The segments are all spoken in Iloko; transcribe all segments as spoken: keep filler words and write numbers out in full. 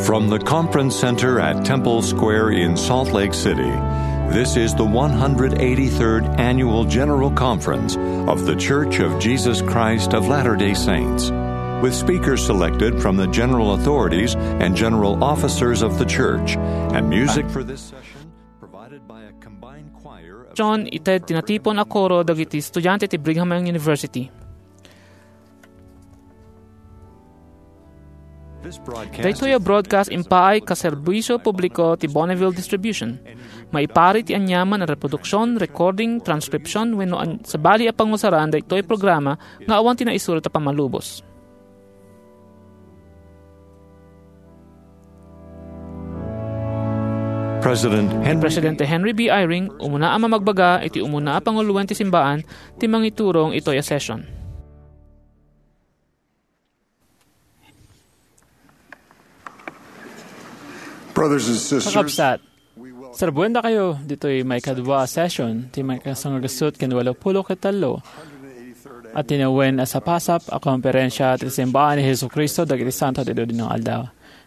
From the Conference Center at Temple Square in Salt Lake City, this is the one hundred eighty-third Annual General Conference of The Church of Jesus Christ of Latter-day Saints, with speakers selected from the general authorities and general officers of the church, and music for this session provided by a combined choir of John, ited ti natipon a koro dagiti estudiante ti Brigham Young University. Daytoy a broadcast impaay ka serbisio publiko ti Bonneville Distribution. Maipari ti aniaman a reproduksion, recording, transcription, wenno an-, sabali a pangusaran daytoy programa nga awan ti naisurat a pammalubos. President Henry Presidente Henry B. Eyring, umuna a mamagbaga iti umuna a panguloen ti simbaan, ti mangiturong itoy a session. Brothers and sisters, Kakabsat, serbuendakayo ditoy maikadua a session ti maikasangagassut ken walo pulo ket tallo a tinawen a sapasap a komperensia ti Simbaan ni Jesu-Cristo dagiti Santo ti Dudino nga Aldaw.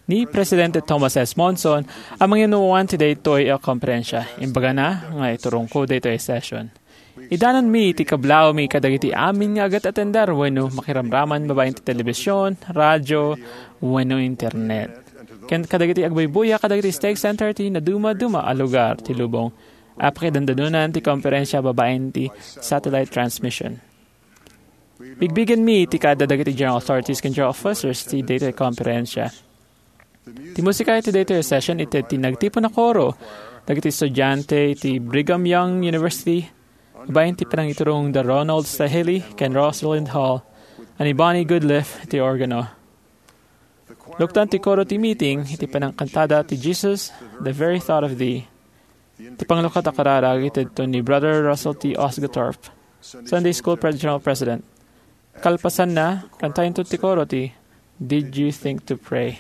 Ni Presidente Thomas S. Monson a manginuan ti daytoy a komperensia. Imbagana nga iturongko daytoy a session. Idanonmi ti kablawmi kadagiti amin nga agat-atender wenno makiramraman babaen ti telebision, radio, wenno internet. Ken kadagiti agbuybuya kadagiti stake center ti nadumaduma a lugar ti lubong a pakidandanunan ti komperensia babaen ti satellite transmission. Bigbigenmi ti kaadda dagiti general authorities ken general officers ti daytoy a komperensia. Ti musika iti daytoy a session ited ti nagtipon a koro dagiti estudiante iti Brigham Young University, babaen ti panangiturong da Ronald Sahili ken Rosalind Hall, a ni Bonnie Goodliff iti organo. Luktan ti koro ti meeting iti panangkantada ti Jesus, the Very Thought of Thee. Ti panglukatan a kararag itedto ni Brother Russell T. Osguthorpe, Sunday School Pre-, General President. Kalpasanna, kantayonto ti koro ti Did You Think to Pray?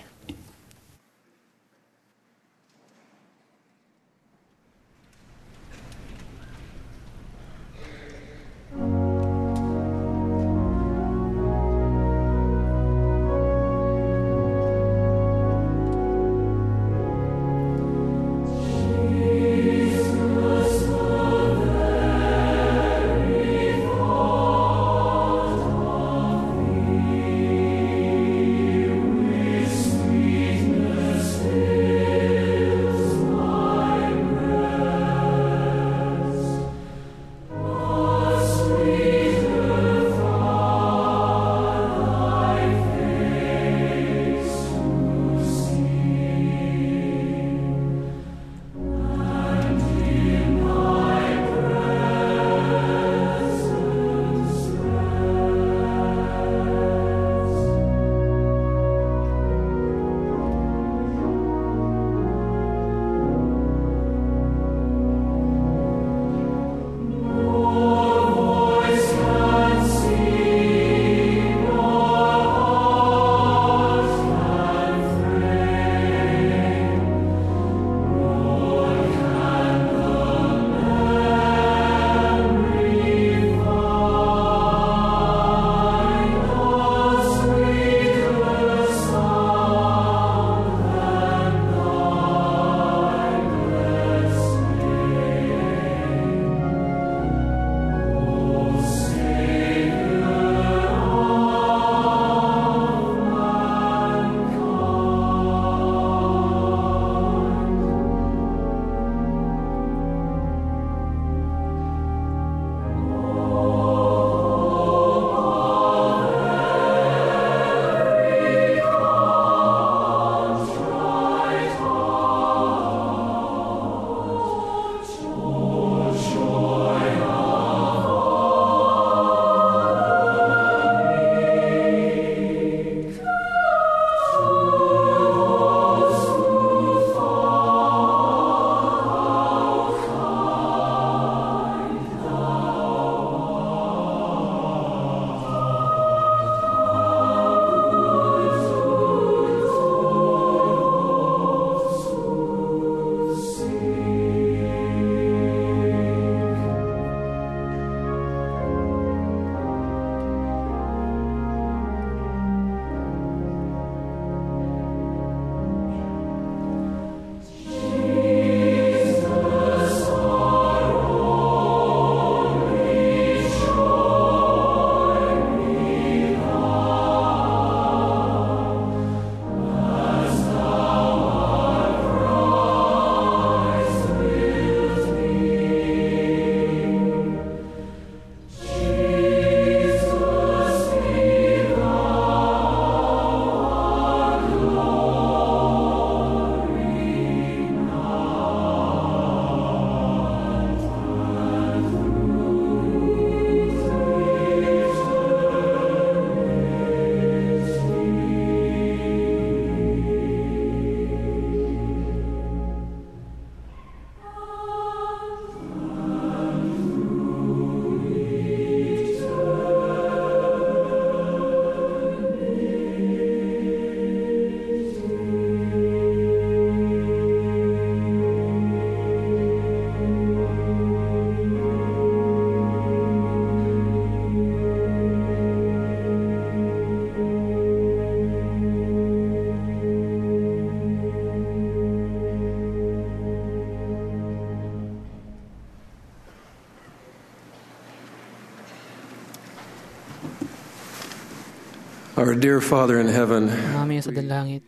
Our dear Father in heaven, Ama mi a sadi langit,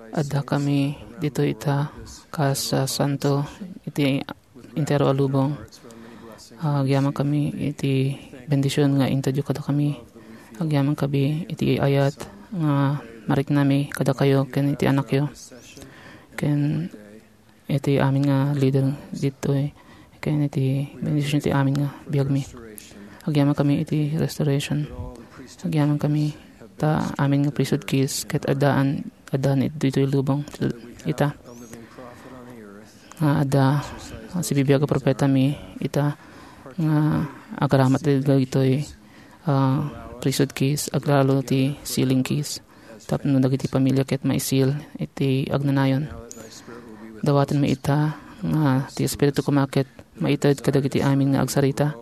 adda kami ditoy ita kas, ah, santo iti entero a lubong. Ah, agyaman kami iti bendision nga intedyo kadakami. Agyaman kami iti ayat nga mariknami kadakayo ken iti anakyo. Ken iti amin nga leader ditoy, ken iti bendision iti amin nga biagmi. Agyaman kami iti restoration. Agyaman kami ta amin nga priesthood keys ket addaan, addaan ditoy lubong ita. Nga adda sibibiag a propetami ita nga agaramat dagitoy, ah, priesthood keys, aglalo ti sealing keys. Tapno dagiti pamilia ket maisil iti agnanayon. Dawatenmi ita nga ti Espiritu koma ket maited kadagiti amin nga agsarita.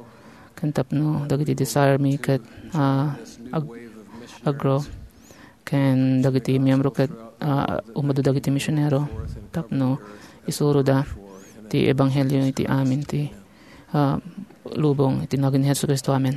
Ken tapno dagiti desire mi ket, ah, ag-, agro. Ken dagiti miyembro ket, ah, umadu dagiti misionero tapno isuroda ti ebanghelio iti amin ti, ah, lubong iti nagan ni Jesu-Cristo. Amen.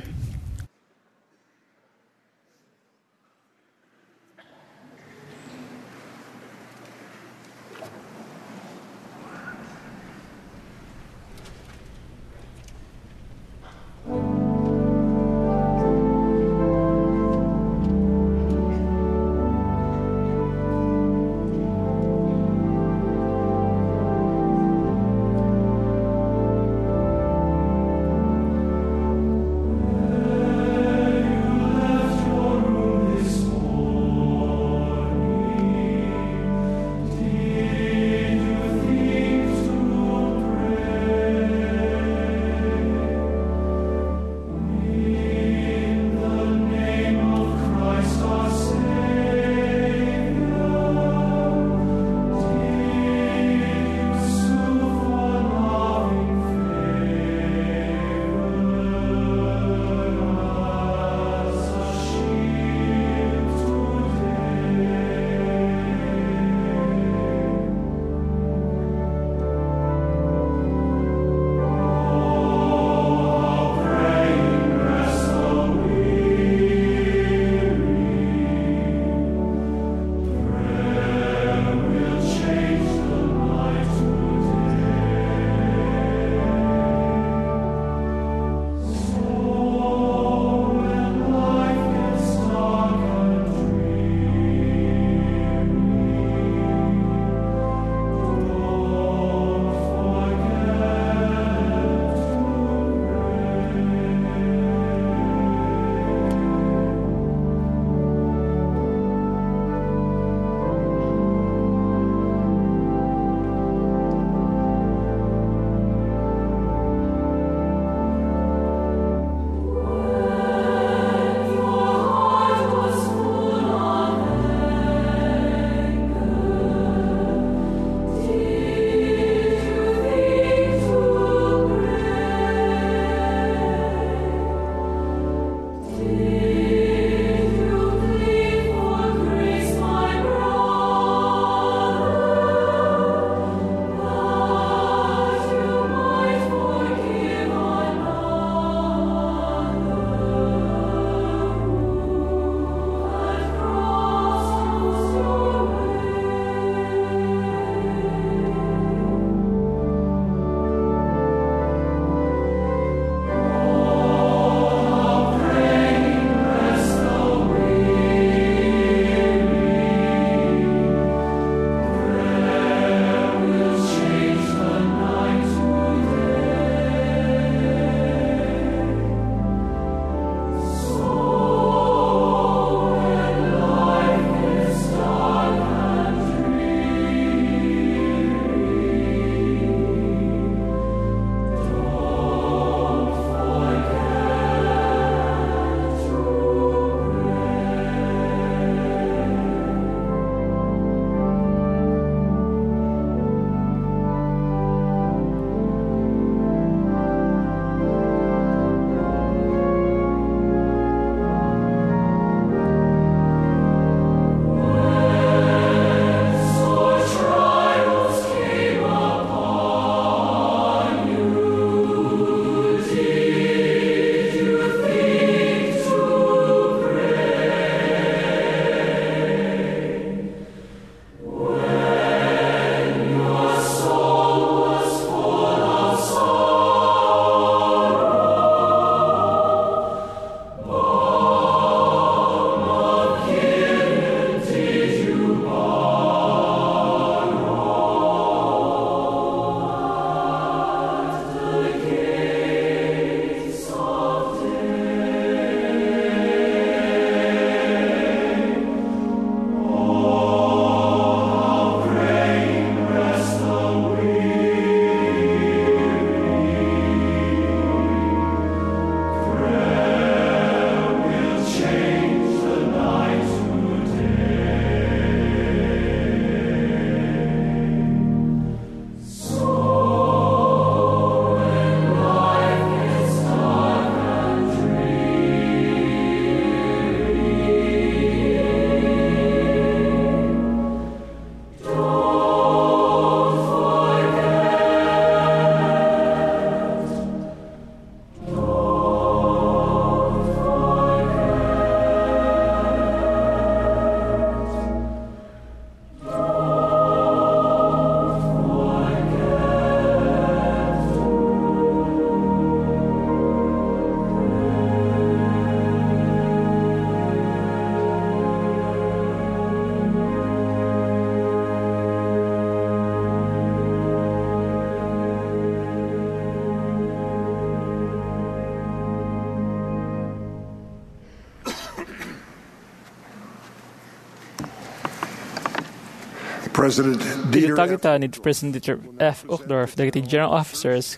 President Dieter F. Uchtdorf dagiti general officers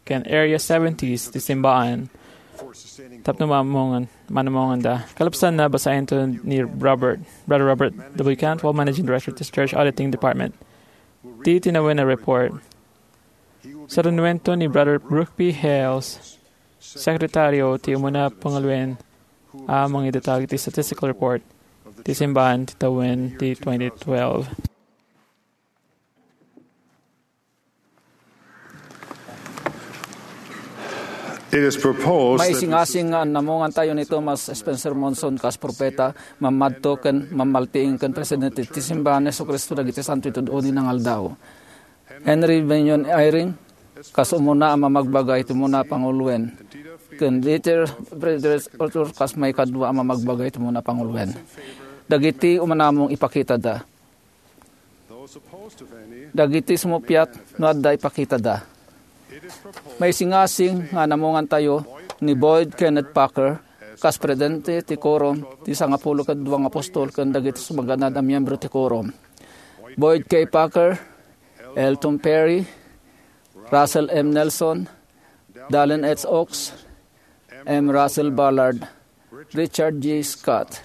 ken Area seventies ti simbaan tapno mamungan, manamunganda. Kalapsanna, basaento ni Robert, Brother Robert W. Cantwell, Managing Director ti Church Auditing Department. Ti tinawen a report. Sarunuento ni Brother Brooke P. Hales, Sekretario ti umuna panguluen a mangidatag iti statistical report ti simbaan ti tawen ti twenty twelve. It is proposed that Maisingasing nga annamungan tayo ni Thomas Spencer Monson kas propeta, mammadto ken mammaltiing ken presidente ti Simbahan ni Jesu-Cristo dagiti Santo iti Adu-adu nga Aldaw. Henry Bennion Eyring kas umuna a mamagbaga iti umuna a panguluen, ken Dieter Friedrich Uchtdorf kas maikadua a mamagbaga iti umuna a panguluen. Dagiti umanamong ipakitada. Dagiti sumuppiat no adda ipakitada. Maisingasing nga annamungan tayo ni Boyd Kenneth Packer kas presidente ti Quorum ti Sangapulo ket Dua nga Apostol ken dagiti sumaganad a miyembro ti Quorum. Boyd K. Packer, Elton Perry, Russell M. Nelson, Dallin H. Oaks, M. Russell Ballard, Richard G. Scott,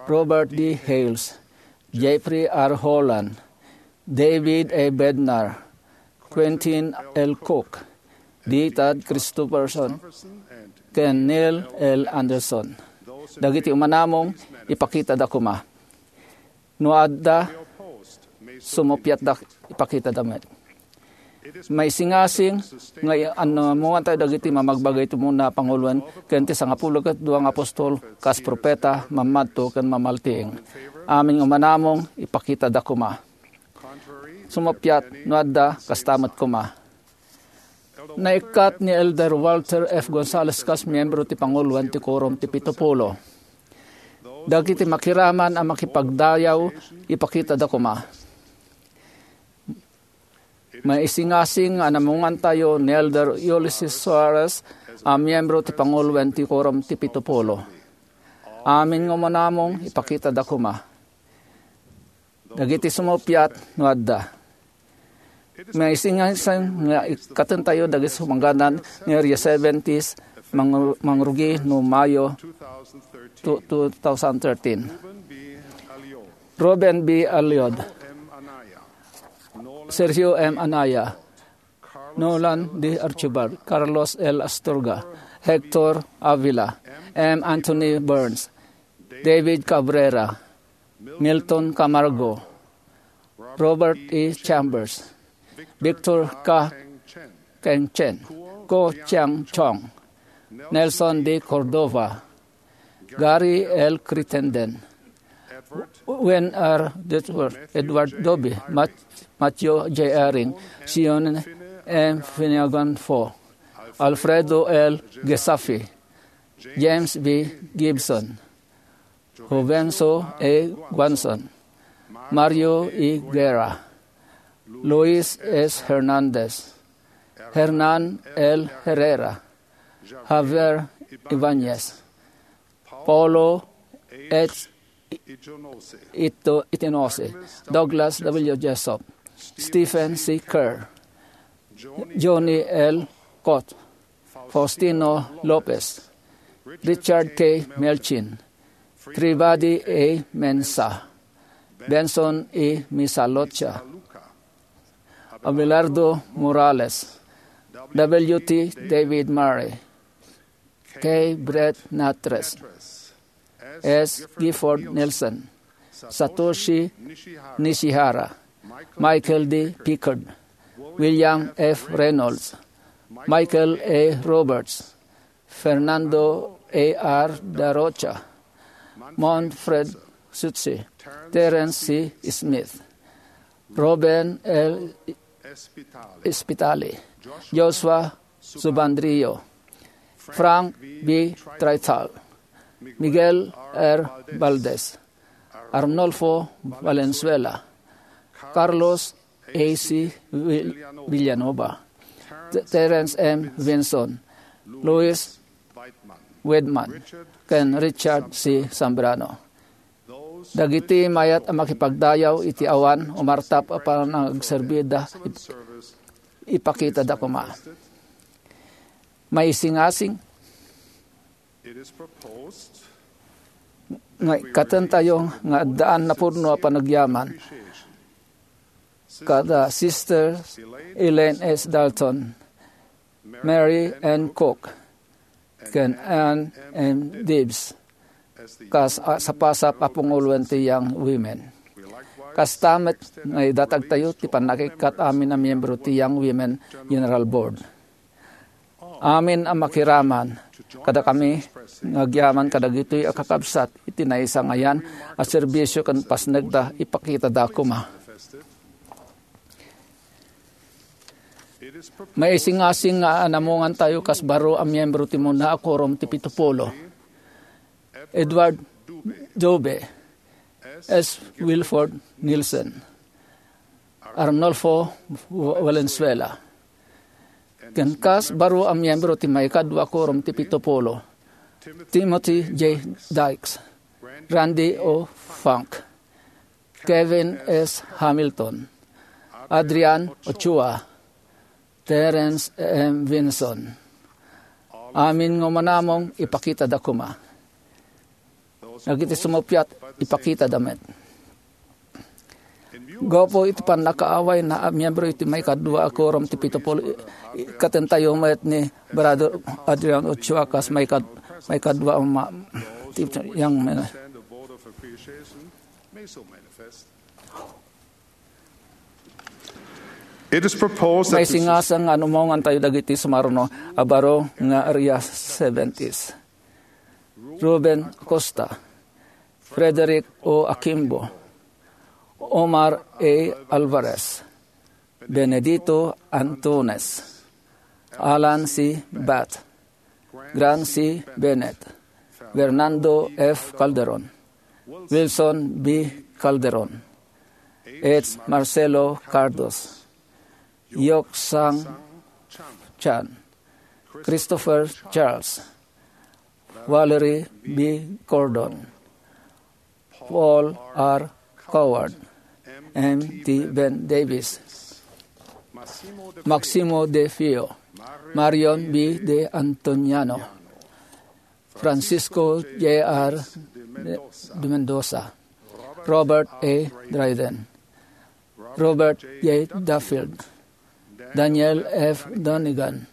Robert D. Hales, Jeffrey R. Holland, David A. Bednar, Quentin L. Cook, D. Todd Christofferson, ken Neil L. Andersen. Dagiti umanamong, ipakitada koma. No adda, sumuppiatda, ipakitada met. Maisingasing nga i-, annamungan tayo dagiti mamagbaga iti umuna a panguluen ken ti Sangapulo ket Dua nga Apostol kas propeta, mammadto ken mammaltiing. Amin nga umanamong, ipakitada koma. Sumuppiat no adda, kasta met koma. Naikkat ni Elder Walter F. Gonzalez kas miyembro ti panguluen ti Quorum ti Pitupulo. Dagiti makiraman a makipagdayaw, ipakitada koma. Maisingasing nga annamungan tayo ni Elder Ulysses Soares a miyembro ti panguluen ti Quorum ti Pitupulo. Amin nga umanamong, ipakitada koma. Dagiti sumuppiat no adda. Maisingasing nga ikkaten tayo dagiti sumaganad nga Area seventies, mang-, mangrugi no Mayo two thousand thirteen. Ruben B. Aliod, Sergio M. Anaya, Nolan D. Archibald, Carlos L. Astorga, Hector Avila, M. Anthony Burns, David Cabrera, Milton Camargo, Robert E. Chambers, Victor Ka Keng Chen, Ko Chiang Chong, Nelson D. Cordova, Gary L. Crittenden, Wayne R. Dudworth, Edward Dobbie, Mat-, Matthew J. Eyring, Sion M. Finnegan Foh, Alfredo L. Gesafi, James B. Gibson, Jovenso A. Guanzon, Mario E. Guerra, Luis S. Hernandez, Hernan L. Herrera, Javier Ibanez, Paulo H. Ito-, Itinose, Douglas W. Jessup, Stephen C. Kerr, Johnny L. Cot, Faustino Lopez, Richard K. Melchin, Tribady A. Mensah, Benson E. Misalucha, Abelardo Morales, W. T. David Murray, K. Brett Nattress, S. Gifford Nielsen, Satoshi Nishihara, Michael D. Pickard, William F. Reynolds, Michael A. Roberts, Fernando A. R. Da Rocha, Manfred Sutsi, Terence C. Smith, Ruben L. Spitali, Joshua Subandrio, Frank B. Traital, Miguel R. Valdez, Arnulfo Valenzuela, Carlos A. C. Vil-, Villanova, T-, Terence M. Vinson, Louis Weidman, ken Richard C. Zambrano. Dagiti mayat a makipagdayaw iti awan umartap a panagserbida, ip-, ipakitada koma. Maisingasing nga ikkatentayo nga addaan napudno a panagyaman kada Sister Elaine S. Dalton, Mary N. Cook, ken Ann M. Dibbs, kas a sapasap a panguloen ti Young Women. Kasta met nga idatagtayo ti pannakikkat amin a miyembro ti Young Women General Board. Amin a makiraman kadakami nga agyaman kadagitoy a kakabsat iti naisangayan a serbisio ken pasnekda, ipakitada koma. Maisingasing nga anamongantayo kas baro a miyembro ti umuna a Quorum ti Pito Pulo: Edward Dube, S. Wilford Nielsen, Arnulfo Valenzuela, ken kas baro a miyembro ti maikadua a Quorum ti Pito Pulo: Timothy J. Dykes, Randy O. Funk, Kevin S. Hamilton, Adrian Ochoa, Terence M. Vinson. Amin nga umanamong, ipakitada koma. Dagiti sumuppiat, ipakitada met. Gapu iti pannakaawayna a miyembro iti maikadua a Quorum ti Pito Pulo, i-, ikkatentayo met ni Brother Adrian Ochoa kas maikad-, maikadua a ma-, ti-, yang men-, It is proposed that the Maisingasang nga anamongantayo dagiti sumaruno a baro nga Area seventies: Ruben Acosta, Frederick O. Akimbo, Omar A. Alvarez, Benedito Antunes, Alan C. Bath, Grant C. Bennett, Fernando F. Calderon, Wilson B. Calderon, H. Marcelo Cardos, Yok Sang Chan, Christopher Charles, Valerie B. Gordon, Paul R. Coward, M. T. Ben Davis, Maximo De Feo, Marion B. De Antoniano, Francisco J R. De Mendoza, Robert A. Dryden, Robert J. Duffield, Daniel F. Donegan,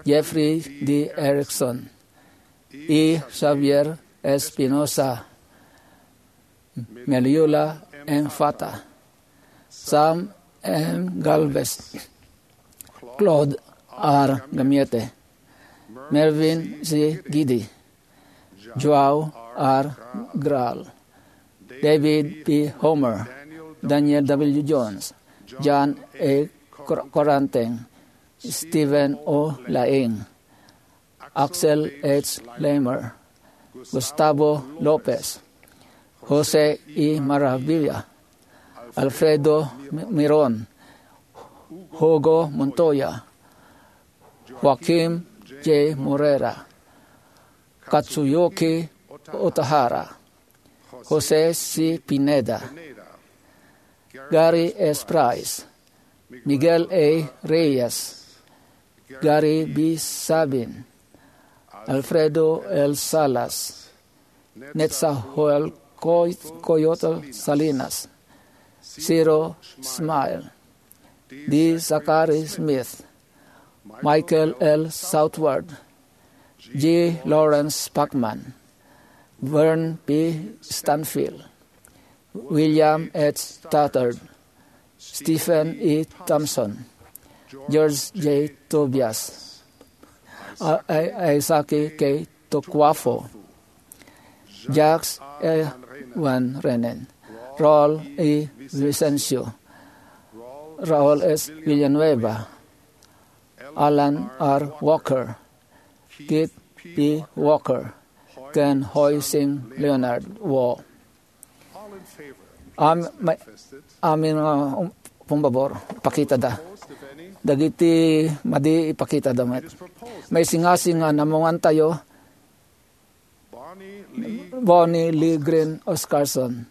Jeffrey D. Erickson, E. Xavier Espinosa, Meliula M. Fata, Sam M. Galvez, Claude R. Gamiete, Mervin C. Gidi, Joao R. Graal, David P. Homer, Daniel W. Jones, John A. Cor-, Coranteng, Stephen O. Laing, Axel H. Lamer, Gustavo Lopez, Jose E. Maravilla, Alfredo Mi-, Miron, Hugo Montoya, Joaquim J. Morera, Katsuyuki Otahara, Jose C. Pineda, Gary S. Price, Miguel A. Reyes, Gary B. Sabin, Alfredo L. Salas, Netzahualcoy-, Coyotl Salinas, Ciro Ismail, D. Zachary Smith, Michael L. Southward, G. Lawrence Pacman, Vern P. Stanfield, William H. Stothard, Stephen E. Thompson, George J. Tobias, A-, A-, Isaac K. Tokuafo, Jacques E. Van Renen, Raul E. Vicencio, Raul S. Villanueva, Alan R. Walker, Keith P. Walker, ken Hoy Sing Leonard Wo. Am-, may, amin nga, um, pumbabor, ipakitada. Dagiti madi, ipakitada met. Maisingasing nga anamongantayo, Bonnie Lee Green Oscarson,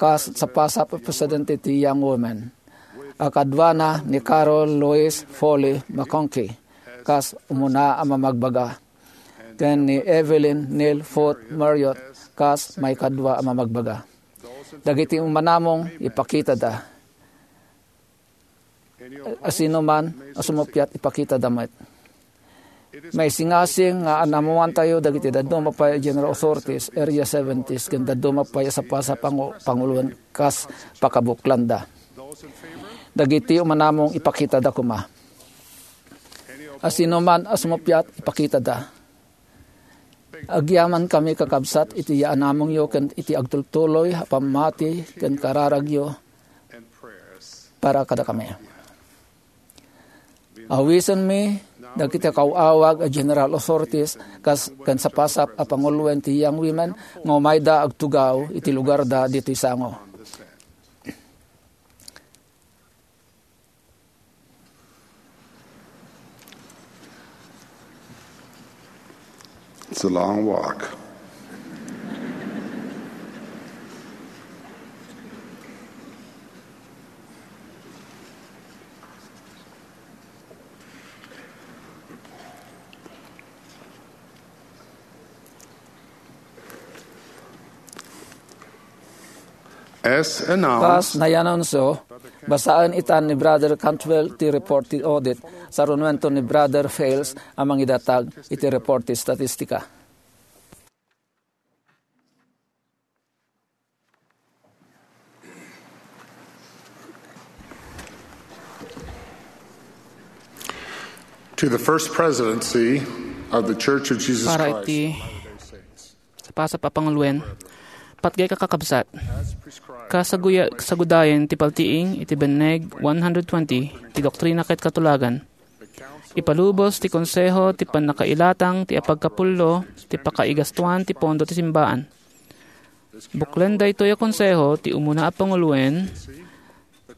kas sapasap a presidente ti Young Women, a kaduana ni Carol Louise Foley McConkie kas umuna a mamagbaga, ken ni Evelyn Neil Foote Marriott kas maikadua a mamagbaga. Dagiti umanamong ipakitada. Asino man a sumuppiat, ipakitada met. Maisingasing nga anamuantayo dagiti dadduma pay a general authorities, Area seventies, ken dadduma pay a sapasap a pangu-, panguloen kas pakabuklanda. Dagiti umanamong ipakitada koma. Asino man a sumuppiat, ipakitada. Agyamankami, kakabsat, iti yaanamongyo ken iti agtultuloy a pammati ken kararagyo para kadakami. Awisenmi dagiti kaw-awag a general authorities kas ken sapasap a panguloen ti Young Women nga umayda agtugaw iti lugarda ditoy sango. It's a long walk. As announced, kas naianunsio, basaen itan ni Brother Cantwell ti report ti audit, sarunuento ni Brother Fales a mangidatag iti report ti statistika. To the First Presidency of the Church of Jesus Para Christ iti sapasap a panguloen, patgek a kakabsat, kasaguya-, sagudayen ti paltiing iti Benneg one hundred twenty ti Doktrina ket Katulagan, ipalubos ti Konseho ti pannakailatang ti apagkapullo ti pakaigastuan ti pondo ti simbaan. Buklen daytoy a konseho ti umuna a panguloen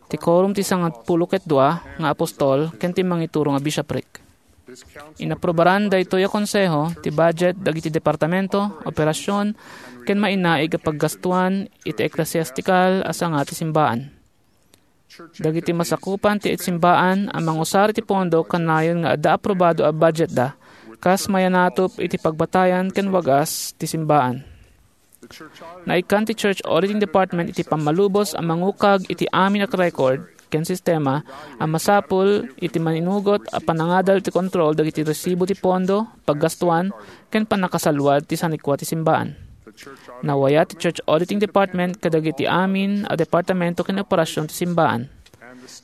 ti Quorum ti Sangapulo ket Dua nga Apostol ken ti Mangituro nga Bishopric. Inaprubaran daytoy a konseho ti budget dagiti departamento, operasion, ken mainaig a paggastuan iti eklesiastikal a sanga ti simbaan. Dagiti masakupan ti simbaan a mangusar iti pondo kanayon nga adda aprobado a budgetda kas mayanatup iti pagbatayan ken wagas ti simbaan. Naikkan ti Church Auditing Department iti pammalubos a mangukag iti amin a record ken sistema a masapul iti maninugot a panangadal ti kontrol dagiti resibo ti pondo, paggastuan, ken pannakasalluad ti sanikua ti simbaan. Nawayat ti Church Auditing Department kadagiti amin a departamento ken operasion ti simbaan.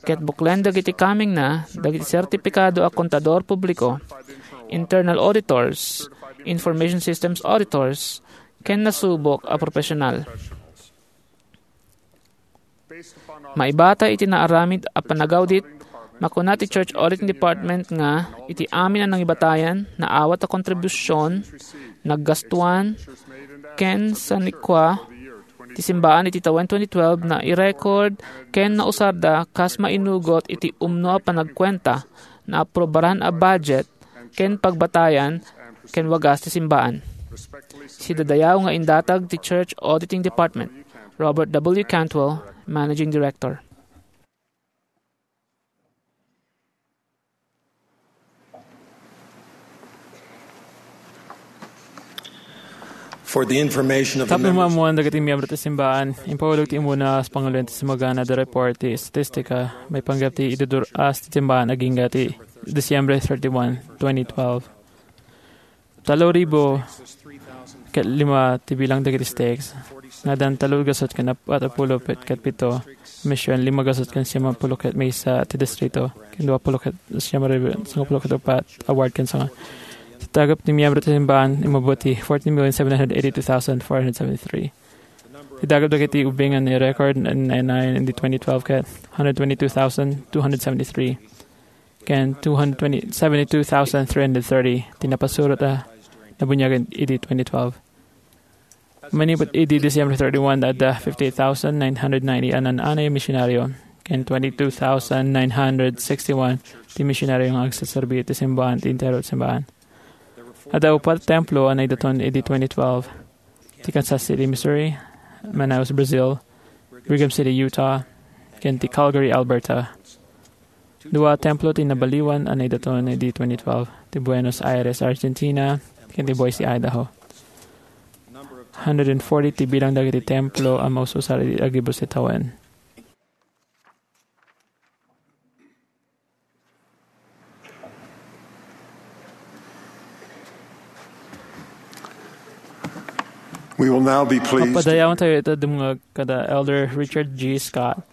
Ket buklen dagiti kamengna, dagiti sertipikado a kontador publiko, internal auditors, information systems auditors, ken nasubok a profesional. Maibata iti naaramid a panagawdit, makuna ti Church Auditing Department nga iti amin a nangibatayan, naawat a kontribusion, naggastuan, ken sanikua ti simbaan iti tawen twenty twelve, nairecord ken nausarda kas mainugot iti umno a panagkuenta, naaprobaran a budget, ken pagbatayan ken wagas ti simbaan. Sidadayaw nga indatag ti Church Auditing Department, Robert W. Cantwell, Managing Director. For the information of the Tapno members, maammuan dagiti miyembro ti simbaan, impawulog ti umuna a panguloen ti simbaan a report ti estatistika maipanggep ti idudur-as ti simbaan agingga ti Disyembre thirty-one, twenty twelve. Tallo ribu ket lima ti bilang dagiti stakes. Nadan tallo gasut ken apat a pulo ket pito. Mission lima gasut ken siam a pulo ket maysa ti distrito. Ken dua pulo ket siam ribu sangapulo ket upat a ward ken sanga. Ti dagep ti miyembro ti simbaan immabot ti fourteen million seven hundred eighty-two thousand four hundred seventy-three. Ti dagep dagiti ubbing a nairecord iti twenty twelve ket hundred twenty-two thousand two hundred seventy-three. Ken two hundred twenty, seventy-two thousand three hundred thirty ti napasurot a nabuniag iti twenty twelve. Manipud idi Disyembre thirty-one, adda fifty-eight thousand nine hundred ninety a naan-anay a misionaryo, ken twenty-two thousand nine hundred sixty-one ti misionaryo nga agseserbi iti simbaan, ti entero ti simbaan. Adda upat templo a naidaton idi twenty twelve, ti Kansas City, Missouri, Manaus, Brazil, Brigham City, Utah, ken ti Calgary, Alberta. Dua a templo ti nabaliwan a naidaton idi twenty twelve, ti Buenos Aires, Argentina, ken ti Boise, Idaho. Hundred and forty ti bilang dagiti templo a maususar idi agibus ti tawen. We will now be pleased. Papadayawan tayo ita dumngeg kada Elder Richard G. Scott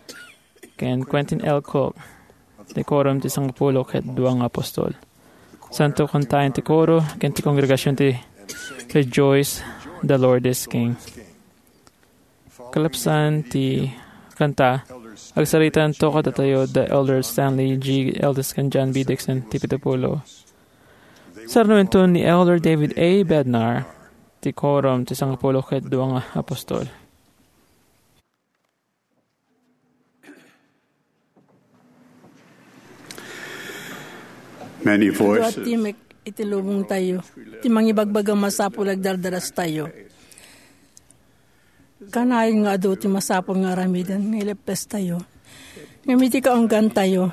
ken Quentin L. Cook, ti Quorum ti Sangapulo ket Dua nga Apostol. Santo kantaen ti koro ken ti kongregasion ti Rejoice, the Lord is King. Kalapsan ti kanta, agsaritanto kadatayo da Elder Stanley G. Eldes ken John B. Dixon ti pitupulo. Sarnuenton ni Elder David A. Bednar ti Quorum ti Sangapulo ket Dua nga Apostol. Many Dua voices. Ti mek iti lubong tayo. Ti mangibagbaga masapul agdardaras tayo. Kanayon nga adu ti masapul nga aramiden nga ileppes tayo. Ngem iti kaunggan tayo,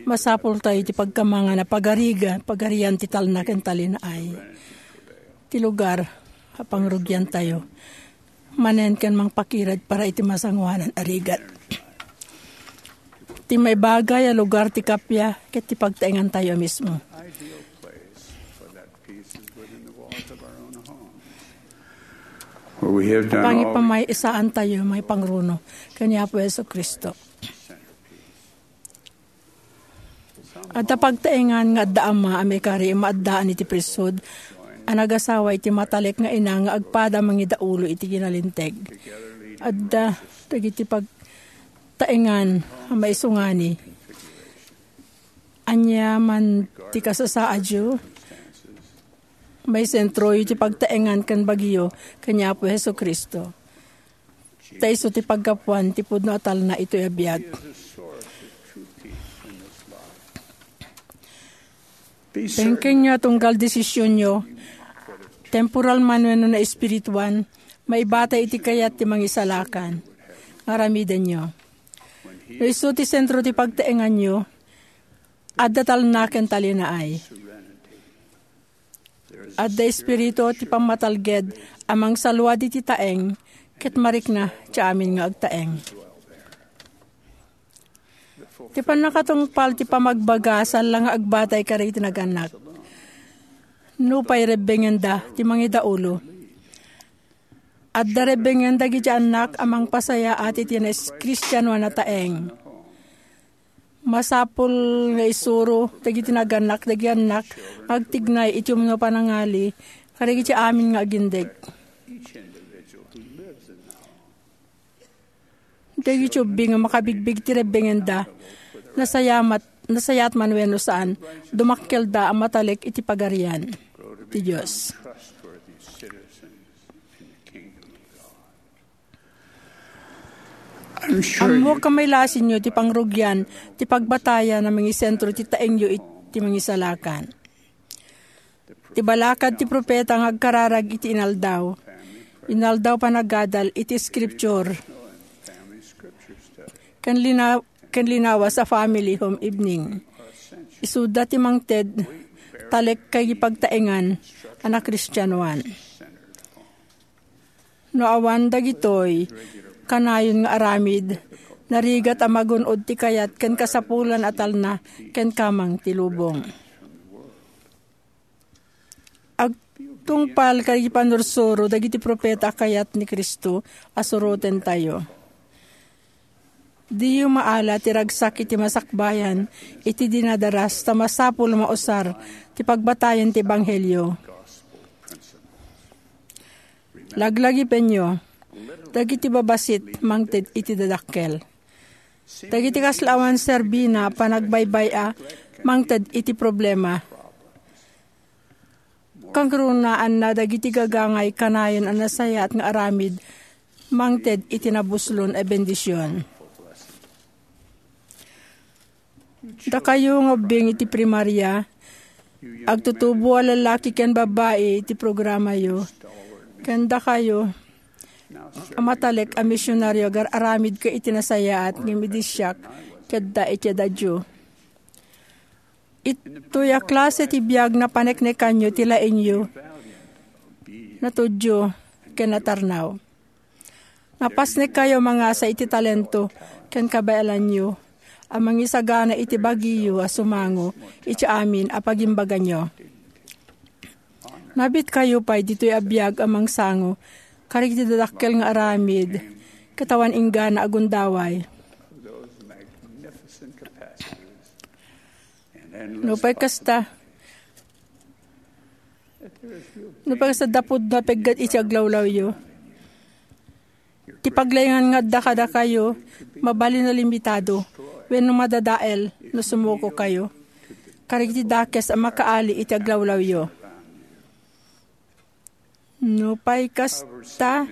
masapul tayo ti pagkamangan a pagariga, pagarian ti talna ken talinaay. Ti lugar a pangrugian tayo. Manen ken mangpakirad para iti masangoanan a rigat. Ti maibagay a lugar ti kappia ket ti pagtaengan tayo a mismo. Where we have done all we Pangipamay-isaan tayo, may pangruno, ken ni Apo Jesu-Cristo. Adda pagtaengan nga adda ama a maikari a maaddaan iti priesthood a nagasawa iti matalek nga ina nga agpada mangidaulo iti kinalinteg. Adda dagiti pagtaengan a maisungani. Ania man ti kasasaadyo, maisentroyo ti pagtaengan ken bagyo ken ni Apo Jesu-Cristo. Ta isu ti paggapuan ti pudno a talna itoy a biag. Pengkenyo a tunggal desisionyo, temporal man wenno naespirituan, maibatay iti kayat ti Mangisalakan nga aramidenyo. No isu ti sentro ti pagtaenganyo, adda talna ken talinaay. Adda espiritu ti pammatalged a mangsaluad iti taeng ket marikna ti amin nga agtaeng. Ti pannakatungpal ti pamagbaga saan la nga agbatay kadagiti nagannak. Nupay rebbengenda ti mangidaulo, adda rebbengen dagiti annak a mangpasayaat iti nais-, Kristianoan a taeng. Masapul nga isuro dagiti nagannak dagiti annak nga agtignay iti umno panangali kadagiti amin nga agindeg. Dagiti ubing nga makabigbig ti rebbengenda, nasayamat, nasayaat man wenno saan, dumakkelda a matalek iti pagarian ti Dios. Ammok a mailasinyo ti pangrugian ti pagbatayan a mangisentro ti taengyo iti Mangisalakan. Ti balakad ti propeta nga agkararag iti inaldaw, inaldaw panagadal iti scripture, ken lina-, ken linawas a family home evening. Isuda ti mangted talek ken pagtaengan a nakristianoan. No awan dagitoy, kanayon nga aramid, narigat a magun-od ti kayat ken kasapulan a talna ken kamang ti lubong. Agtungpal kadagiti pannursuro dagiti propeta a kayat ni Cristo a surotentayo. Diyo maala ti ragsak iti masakbayan iti dinadaras ta masapul a mausar ti pagbatayan ti ebanghelio. Laglagipenyo dagiti babassit mangted iti dadakkel. Dagiti kasla awan serbina a panagbaybay-a mangted iti problema. Kangrunaanna dagiti gagangay kanayon a nasayaat nga aramid mangted iti nabuslon a bendision. Dakayo nga ubbing iti primaria, agtutubo a lalaki ken babbai iti programayo, ken dakayo a matalek a misionario, agar-aramidka iti nasayaat, ngem idi siak, ket adda iti adayo. Itoy a klase ti biag napaneknekanyo ti laingyo, natudyo, ken natarnaw. Napasnekkayo mangasa iti talento ken kabaelanyo a mangisagana iti bagiyo a sumango iti amin a pagimbaganyo. Nabitkayo pay ditoy a biag a mangsango kadagiti dakkel nga aramid ket awan inggana a gundaway. Nupay kasta, nupay kasta, dapudno a pegget iti aglawlawyo. Ti paglaingan nga adda kadakayo, mabalin a limitado, wenno madadael no sumukokayo kadagiti dakes a makaali iti aglawlawyo. Nupay kasta,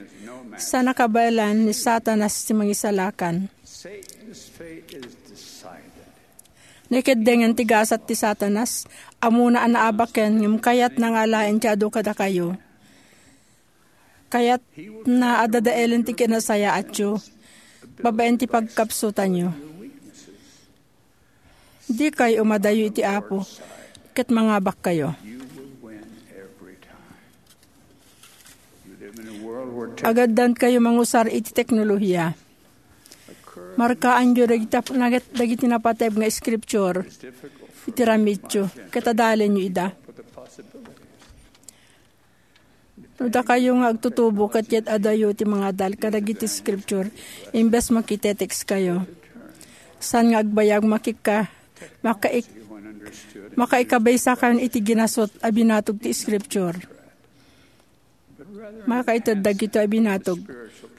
saan a kabaelan ni Satanas ti mangisalakan. Naikaddengen ti gasat ti Satanas, ammona a naabaken, ngem kayatna nga alaen ti adu kadakayo. Kayatna a dadaelen ti kinasayaatyo babaen ti pagkapsutanyo. Dikay umadayo iti Apo, ket mangabakkayo. Agaddankayo mangusar iti teknolohiya. Markaanyo dagiti, dagiti napateg nga scripture iti ramityo, ket adalenyo ida. No dakayo nga agtutubo ket yad-adayo ti mangadal kadagiti scripture, imbes makitetekskayo. Saan nga agbayag makika-, makaik-, makaikabaysakayon iti ginasut a binatog ti scripture. Makaited dagitoy a binatog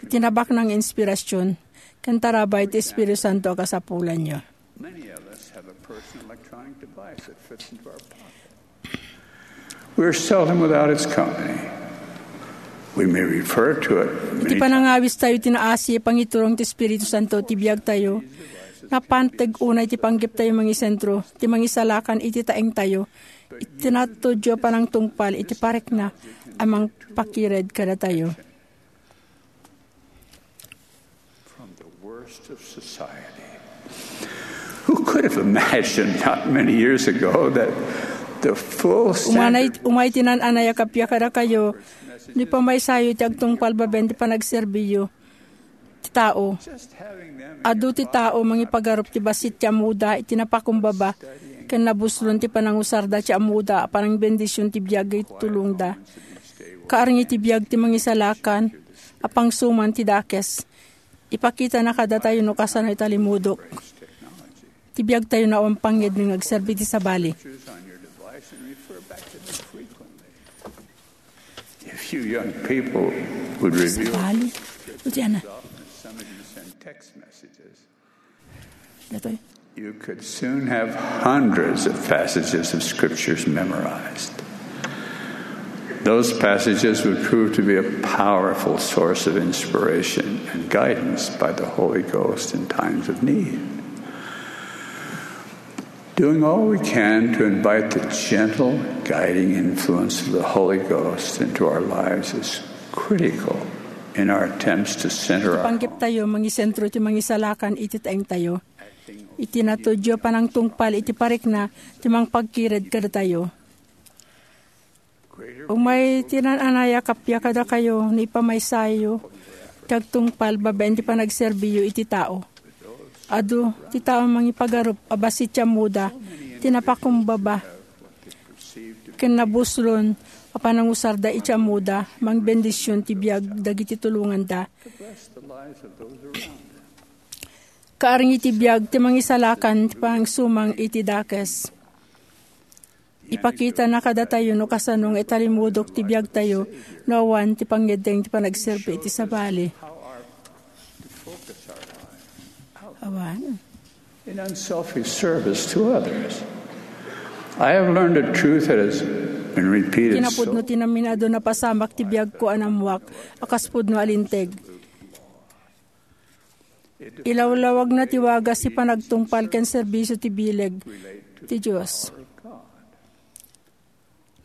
iti nabaknang nga inspirasyon ken tarabay ti Espiritu Santo a kasapulanyo. Many of us have a personal electronic device that fits into our pocket. We're seldom without its company. We may refer to it many times. Iti panangawistayo ti naasi, pangiturong ti Espiritu Santo ti biagtayo. Napanteg unay ti panggeptayo mangisentro, ti mangisalakan iti taengtayo. Iti natudyo a panangtungpal iti parikna a mangpakired kadatayo. From the worst of society. Who could have imagined not many years ago that the full standard Umanay, umay ti naan-anay a kappia kadakayo, ni pamaysayo ti agtungpal babaen ti panagserbiyo ti tao. Adu ti tao mangipagarup ti bassit ti ammoda iti napakumbaba, ken nabuslon ti panangusarda ti ammoda a panangbendision ti biag iti tulongda. Kaarngi ti biag ti mangisalakan a pangsuman ti dakes. Ipakitana kadatayo no kasano italimudok ti biagtayo no awan pangngegna nga agserbi ti sabali. If you young people would review Sabali? Iti ana. Some of you send text messages. Datoy. You could soon have hundreds of passages of scriptures memorized. Those passages would prove to be a powerful source of inspiration and guidance by the Holy Ghost in times of need. Doing all we can to invite the gentle, guiding influence of the Holy Ghost into our lives is critical in our attempts to center our Panggep tayo, mangisentro ti mangisalakan iti taeng tayo. Iti natudyo panangtungpal iti parikna ti mangpagkired kadatayo. Umay ti naan-anay a kappia kadakayo no ipamaysayo ti agtungpal babaen ti panagserbiyo iti tao. Adu ti tao mangipagarup a bassit ti ammoda ti napakumbaba ken nabuslon a panangusarda iti ammoda mangbendision ti biag dagiti tulonganda. Kaarngi ti biag ti mangisalakan ti pangsumang iti dakes. Ipakitana kadatayo no kasano nga italimudok ti biagtayo no awan ti pangngeddeng ti panagserbi iti sabali. Awan. In unselfish service to others. I have learned a truth that has been repeated so Kinapudno ti naminado napasamak ti biagko a nammuak a kas pudno a linteg. Ilawlawagna ti wagas ti panagtungpal ken serbisio ti bileg ti Dios.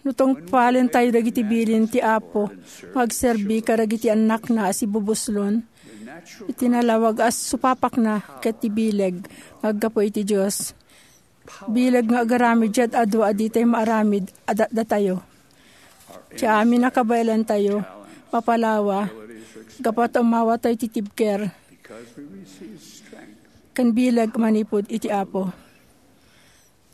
No tungpalentayo dagiti bilin ti Apo nga agserbi kadagiti annakna a sibubuslon, iti nalawag a supapakna ket ti bileg nga aggapu iti Dios. Bileg nga agaramid ti ad-adu a ditay maaramid a datdatayo. Ti amin a kabaelantayo, mapalawa, gapu ta umawatayo ti tibker, ken bileg manipud iti Apo.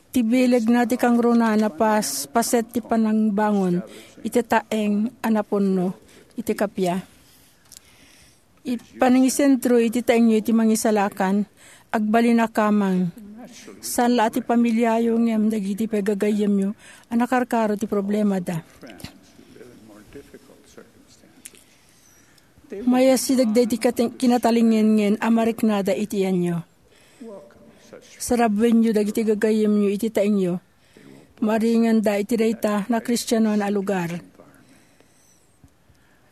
Ti bilegna ti kangrunana pas-, paset ti panangbangon iti taeng a napunno iti kappia. It-, panangisentro iti taengyo iti mangisalakan, agbalin a kamang. Saan la a ti pamiliayo ngem dagiti pagagayyemyo a nakarkaro ti problemada. Mayasideg dagiti kate-, kinatalingenngen a mariknada iti iyanyo. Sarabbenyo dagiti gagayyemyo iti taengyo. Maringanda iti dayta a Kristianon a lugar.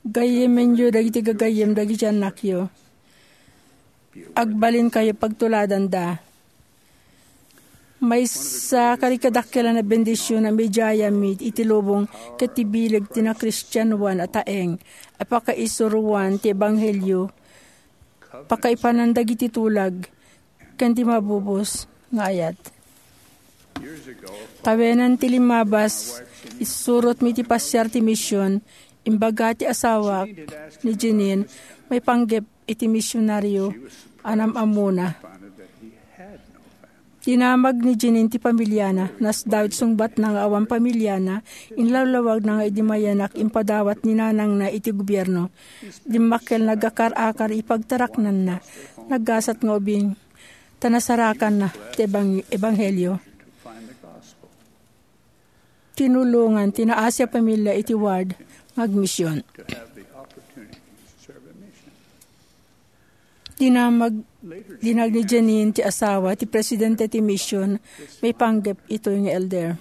Gayyemenyo dagiti gagayyem dagiti annakyo. Agbalinkayo pagtuladanda. Maysa kadagiti dakkel a bendision a idiayami iti lubong ket ti bileg ti nakristianoan a taeng a pakaisuroan ti ebanghelio, pakaipanan dagiti tulag, ken ti mabubos nga ayat. Tawenan ti limmabas, isurotmi ti pasiar ti mision, imbaga ti asawak ni Jeanene, maipanggep iti misionario a nam-ammona. Dinamag ni Jeanene ti pamiliana, nasdawit sungbatna nga awan pamiliana, inlawlawagna nga idi mayanak impadawat ni nanangna iti gobierno. Dimmakkel nagakar-akar ipagtaraknanna, naggasat nga ubing, ta nasarakanna ti ebang-, ebanghelio. Tinulongan ti naasi a pamilia iti ward nga agmision. Dinamag, dinamag ni Jeanene ti asawa ti presidente ti mision maipanggep itoy nga elder.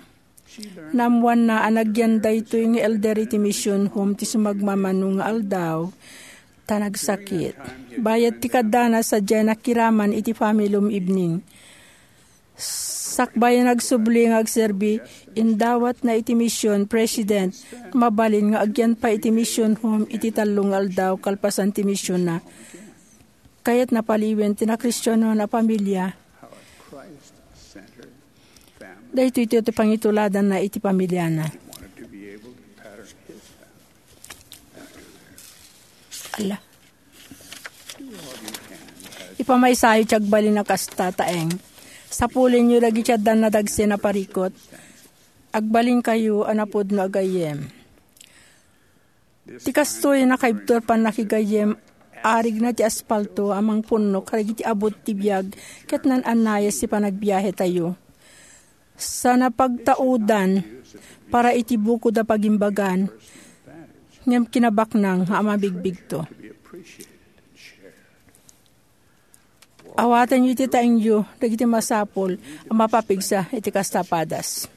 Naammoanna a nagyan daytoy nga elder iti mission home ti sumagmamano nga aldaw, ta nagsakit. Bayat ti kaddana, sadiay nakiraman iti family home evening. Sakbay a nagsubli nga agserbi, indawatna iti mission president, mabalin nga agyan pay iti mission home iti tallo nga aldaw kalpasan ti missionna. Kayatna paliwen ti nakristianon a pamilia. Daytoy ti pangituladanna iti pamiliana. Ala. Ipamaysayo ti agbalin a kasta, taeng. Sapulenyo dagiti addan nadagsen a parikut. Agbalinkayo a napudno a gayyem. Ti kastoy a nakaibtur pannakigayyem, arigna ti aspalto a mangpunno kadagiti abut ti biag ket naan-annayes ti panagbiahetayo. Sa napagtaudan para iti bukod a pagimbagan, ngem kinabaknang nga a mabigbigto. Awatenyo iti taengyo dagiti masapul a mapapigsa iti kasta a padas.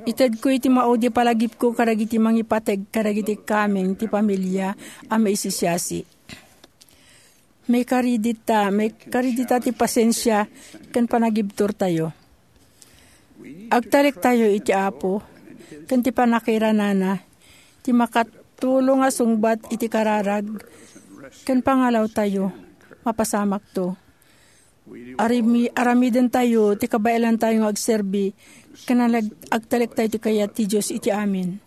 Itedko iti maudi a palagipko kadagiti mangipateg kadagiti kameng ti pamilia a maisisiasi. Maikari dita, maikari dita ti pasensia ken panagibturtayo. Agtalektayo iti Apo ken ti pannakairanana, ti makatulong a sungbat iti kararag ken pangalawtayo. Mapasamakto. Arimi-, aramidentayo ti kabaelantayo nga agserbi ken alag-, agtalektayo ti kayat ti Dios iti amin.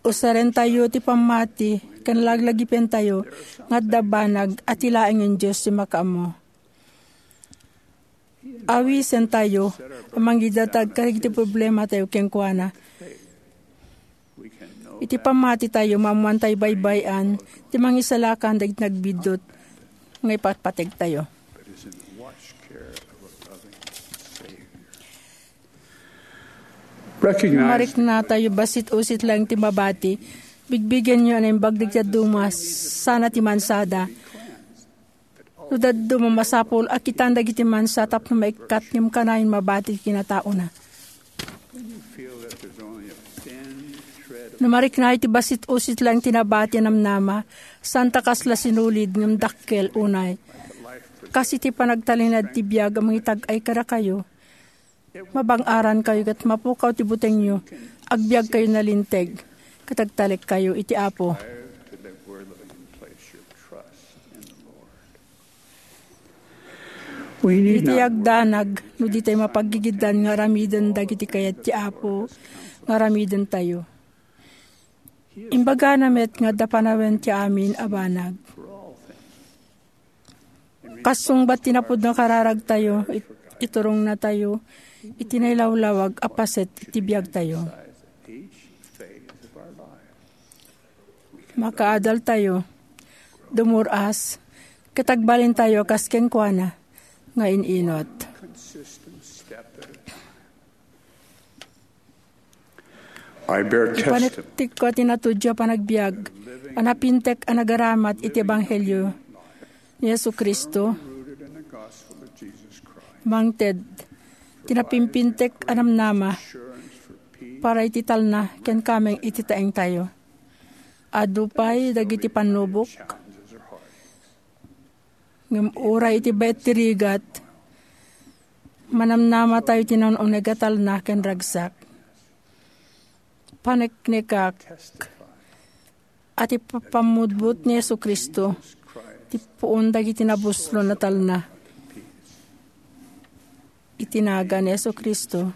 Usarentayo ti pammati ken laglagipentayo nga adda banag a ti laengen Dios ti makaammo. Awisentayo a mangidatag kadagiti problematayo kenkuana. Iti pammatitayo, maammoantayo baybay-an ti mangisalakan dagiti nagbiddut nga ipatpategtayo. Recognize Mariknatayo, bassit-ussit laeng ti mabati. Bigbigenyo a naimbag dagiti dadduma sana ti mansada. No dadduma, masapul a kitan dagiti mansa tapno maikkat ngem kanayon mabati ti kinataona. No mariknayo ti bassit-ussit laeng ti nabati a namnama, saan ta kasla sinulid ngem dakkel unay. Kas iti panagtalinaed ti biag a mangitag-ay kadakayo, Mabang-arankayo ket mapukaw ti butengyo. Agbiagkayo nalinteg ket agtalekkayo iti Apo. Iti agdanag, no ditay mapaggigiddan nga aramiden dagiti kayat ti Apo nga aramidentayo. Imbagana met nga adda panawen ti amin a banag. Kas sungbat ti napudno a kararagtayo, it-, iturongnatayo iti nailawlawag a paset ti biagtayo. Makaadaltayo, dumur-as, ket agbalintayo kas kenkuana nga in-inut. I bear testimony. Ipanektikko ti natudio a panagbiag a napintek a nagaramat iti ebanghelio ni Jesu-Cristo. Mangted ti napimpintek a namnama para iti talna ken kameng iti taengtayo. Adu pay dagiti pannubok. Ngem uray iti bet ti rigat, manamnamatayo iti naun-uneg a talna ken ragsak. Paneknekak a ti pammutbot ni Jesu-Cristo ti puon dagiti nabuslon a talna. Iti nagan ni Jesu-Cristo.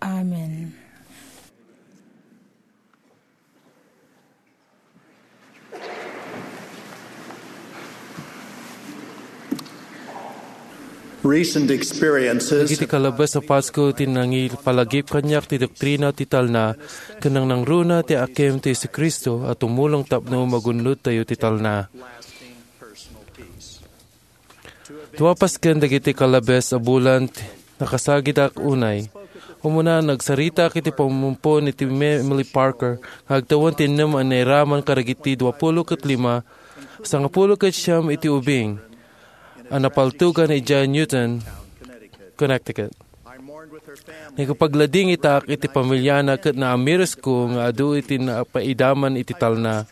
Amen. Recent experiences. Dagiti kalabas a Pasko ti nangipalagip kaniak ti doktrina ti talna, ken nangnangruna ti akem ti Jesu-Cristo a tumulong tapno magunodtayo ti talna. Dua pasken dagiti kalabes a bulan ti nakasagidak unay. Umuna, nagsaritak iti pammumpon ni Emily Parker nga agtawen ti ennem a nairaman kadagiti duapulo ket lima, sangapulo ket siam iti ubing a napaltugan idiay Newton, Connecticut. Nakipagladingitak iti pamiliana ket naamiresko nga adu iti napaidaman iti talna.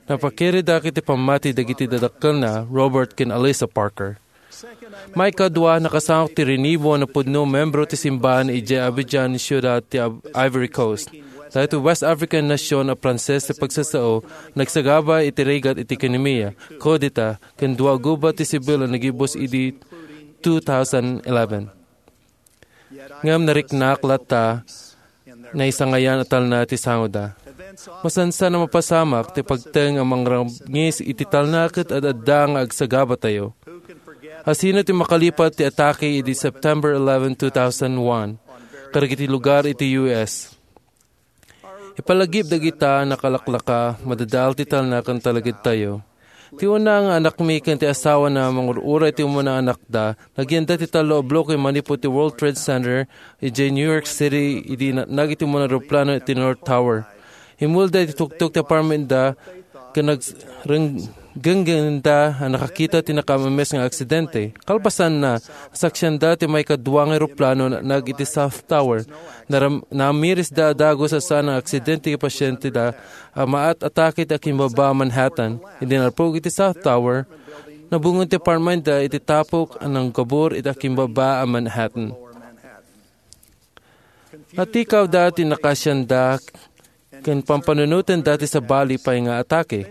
Napakiridak iti pammati dagiti dadakkelna, Robert ken Alisa Parker. Maikadua, nakasangok ti rinibo a napudno membro ti simbahan idiay Abidjan, siudad ti Ab-, Ivory Coast. Daytoy West African nasion a Pranses ti pagsasao, nagsagaba iti rigat iti ekonomia, kudeta, ken dua a gubat ti sibil a nagibus idi two thousand eleven. Ngem nariknak latta, naisangayan a talna ti sangoda. Masansan a mapasamak ti pagteng a mangrangis iti talna ket ad-adda nga agsagabatayo. Asino ti makalipat ti atake idi September eleven, two thousand one, kadagiti lugar iti U S? Ipalagip dagita a nakalaklaka, madadael ti talna ken talagedtayo. Ti una nga anakmi ken ti asawana, mangur-uray ti umuna a anakda, nagyanda ti tallo a bloke manipud ti World Trade Center idiay New York City idi natnag iti umuna a eroplano iti North Tower. Immulda iti tuktok ti apartmentda ken nagreng-, genggengda a nakakita ti nakaammes nga aksidente. Kalpasanna, nasaksianda ti maikadua nga eroplano a natnag iti South Tower. Naram-, naamirisda a dagus a saan nga aksidente ti pasienteda a maat-atake ti akimbaba a Manhattan. Idi nalpug iti South Tower, nabungod ti apartmentda iti tapok a nanggabur iti akimbaba a Manhattan. Natikawda ti nakasianda ken pampanunotenda ti sabali pay nga atake.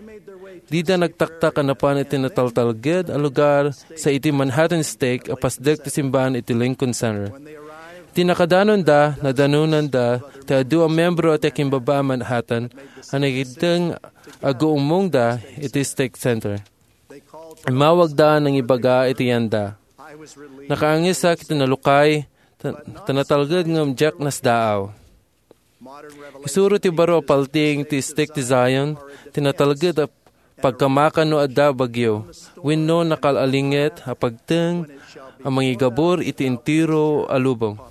Dida nagtaktak a napan iti nataltalged a lugar sa iti Manhattan Stake a pasdek ti simbahan iti Lincoln Center. Iti nakadanonda, nadanonanda ti adu a miyembro ti akimbaba a Manhattan a nagiteng a guummongda iti Stake Center. Immawagda a nangibaga iti yanda. Nakaangesak iti nalukay, ta, ta natalged ngem diak nasdaaw. Isuro ti baro a palting ti Stake ti Zion, ti natalged a pagkamakan no adda bagyo, wenno nakal-alinget a pagteng a mangigabur iti entero a lubong.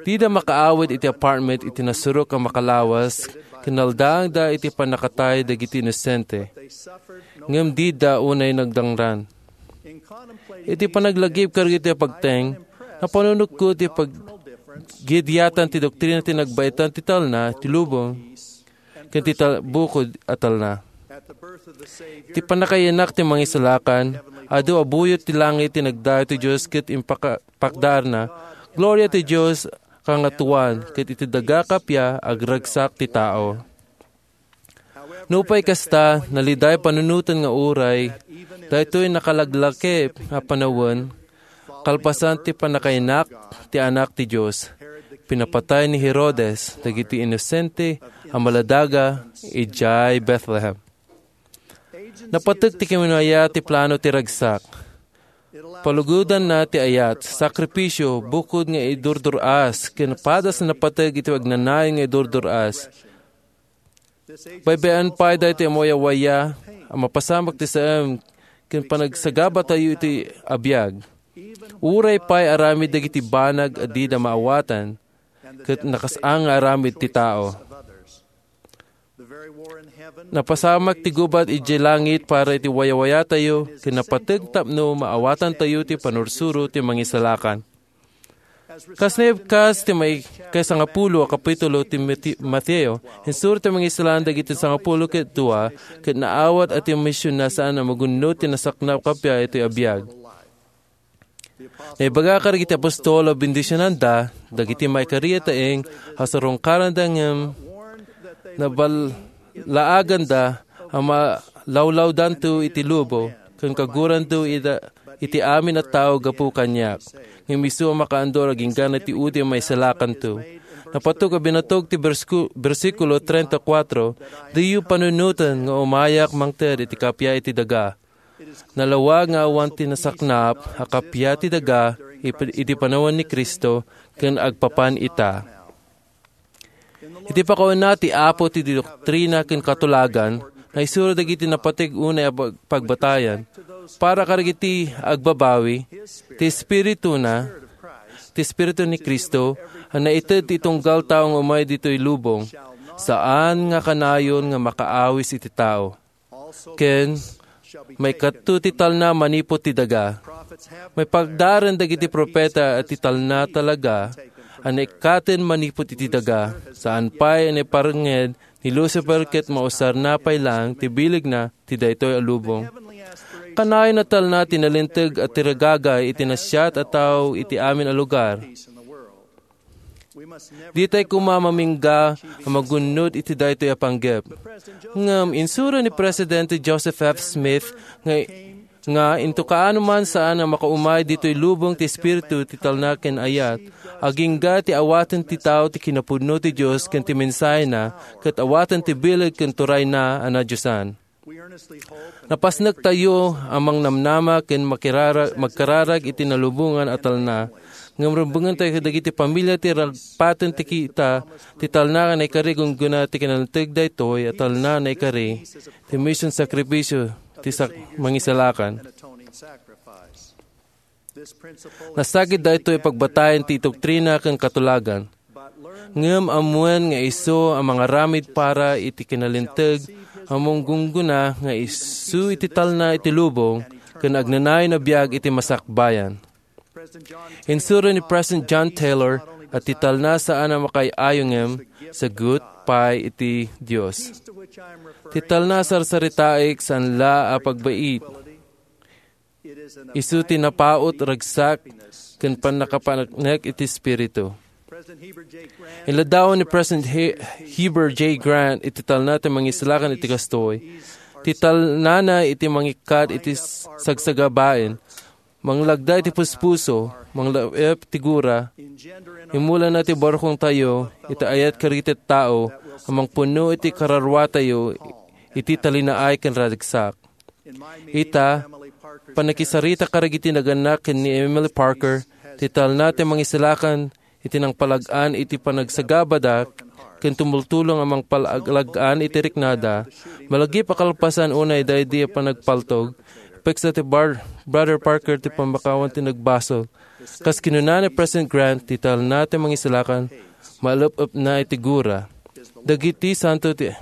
Dida makaawid iti apartment iti nasurok a makalawas, ken naldaangda iti pannakatay dagiti inosente. Ngem dida unay nagdangran. Iti panaglagip kadagiti pagteng, napanunotko ti paggidyatan ti doktrina ti nagbaetan ti talna, ti lubong, ken ti ta-, bukod a talna. Ti pannakayanak ti Mangisalakan, adu a buyot ti langit ti nagdayo ti Dios ket impaka-, pakdaarna, "Gloria ti Dios kangatoan, ket iti daga kappia agragsak ti tao." Nupay kasta, naliday panunoten nga uray daytoy nakalaglakip a panawen, kalpasan ti pannakayanak ti Anak ti Dios, pinapatay ni Herodes dagiti inosente a maladaga idiay Bethlehem. Napateg ti kinunaya ti plano ti ragsak. Palugodanna ti ayat, sakripisio, bukod nga idurdur-as, ken padas a napateg iti agnanayon nga idurdur-as. Baybay-an pay daytoy a mawayawaya a mapasamak ti saem ken panagsagabatayo iti abiag. Uray pay aramid dagiti banag a dida maawatan, ket nakasaan nga aramid ti tao. Napasamak ti gubat idiay langit para iti wayawayatayo, ken napateg tapno maawatantayo ti panursuro ti Mangisalakan. Kas naibkas ti may-, kaisangapulo a kapitulo ti Mati-, Mateo, insuro ti Mangisalakan dagiti sangapulo ket dua, ket naawat a ti misionna saan a magunno ti nasaknap kappia iti abiag. Naibaga kadagiti apostol a bendisionanda dagiti maikari a taeng a sarungkaranda ngem naballaaganda a malawlawdanto iti lubong ken kaguranto ida-, iti amin a tao gapu kaniak. Ngem isu a makaandor agingga ti udim a maisalakanto. Napateg a binatog ti bersku-, bersikulo treinta y cuatro, "Diyo panunoten nga umayak mangted iti kappia iti daga." Nalawag nga awan ti nasaknap a kappia ti daga ip-, idi panawen ni Cristo ken agpapan ita. Iti pakauna ti Apo ti doktrina ken katulagan, naisuro dagiti napateg unay a pag-, pagbatayan. Para kadagiti agbabawi, ti Espirituna, ti Espiritu ni Cristo, a naited ti tunggal tao nga umay ditoy lubong, saan nga kanayon nga makaawis iti tao. Ken maikadto ti talna manipud ti daga. Maipagdaren dagiti profeta a ti talna talaga a naikkaten manipud iti daga, saan pay a naiparengnged ni Lucifer ket mausarna pay laeng ti bilegna ti daytoy a lubong. Kanayon a talna ti nalinteg a tiragagay iti nasayaat a tao iti amin a lugar. Ditay koma mamingga a magunnod iti daytoy a panggep. Ngem insuro ni Presidente Joseph F. Smith nga, nga into kaano man saan a makaumay ditoy lubong ti Espiritu ti talna ken ayat, agingga ti awaten ti tao ti kinapudno ti Dios ken ti mensahena, ket awaten ti bileg ken turayna a nadiosan. Napasnektayo a mangnamnama ken makirara-, magkararag iti nalubongan a talna, ngem rumbengentayo kadagiti pamilia ti ragpaten ti kita ti talna nga naikari. Gunggona ti kinalinteg daytoy a talna naikari ti mision sakripisio ti sak-, mangisalakan. Nasagid daytoy pagbatayan ti doktrina ken katulagan. Ngem ammoen nga isu a mangaramid para iti kinalinteg a manggunggona nga isu iti talna iti lubong ken agnanayon a biag iti masakbayan. Insuro ni President John Taylor a ti talna saan a makaay-ayo ngem sagut pay iti Dios. Ti talna sarsaritaek saan la a pagbait. Isu ti napaut, ragsak, ken pannakapaneknek iti Espiritu. Inladawan ni President He-, Heber J. Grant iti talna ti mangisalakan iti kastoy. Ti talnana iti mangikkat iti s-, sagsagabaen, manglagda iti puspuso, manglaep ti gura, imulana ti barkongtayo, iti ayat kadagiti tao, a mangpunno iti kararuatayo, iti talinaay ken ragsak. Ita, pannakisarita kadagiti nagannak ken ni Emily Parker, ti talna ti mangisalakan iti nangpalag-an iti panagsagabada ken tumultulong a mangpalag-an iti riknada, malagip a kalpasan unay daydi a panagpaltog, peksa ti Bar-, Brother Parker ti pammakawan ti nagbasol. Kas kinuna ni President Grant, ti talna ti mangisalakan, maelep-epna iti gura. Dagiti santo ti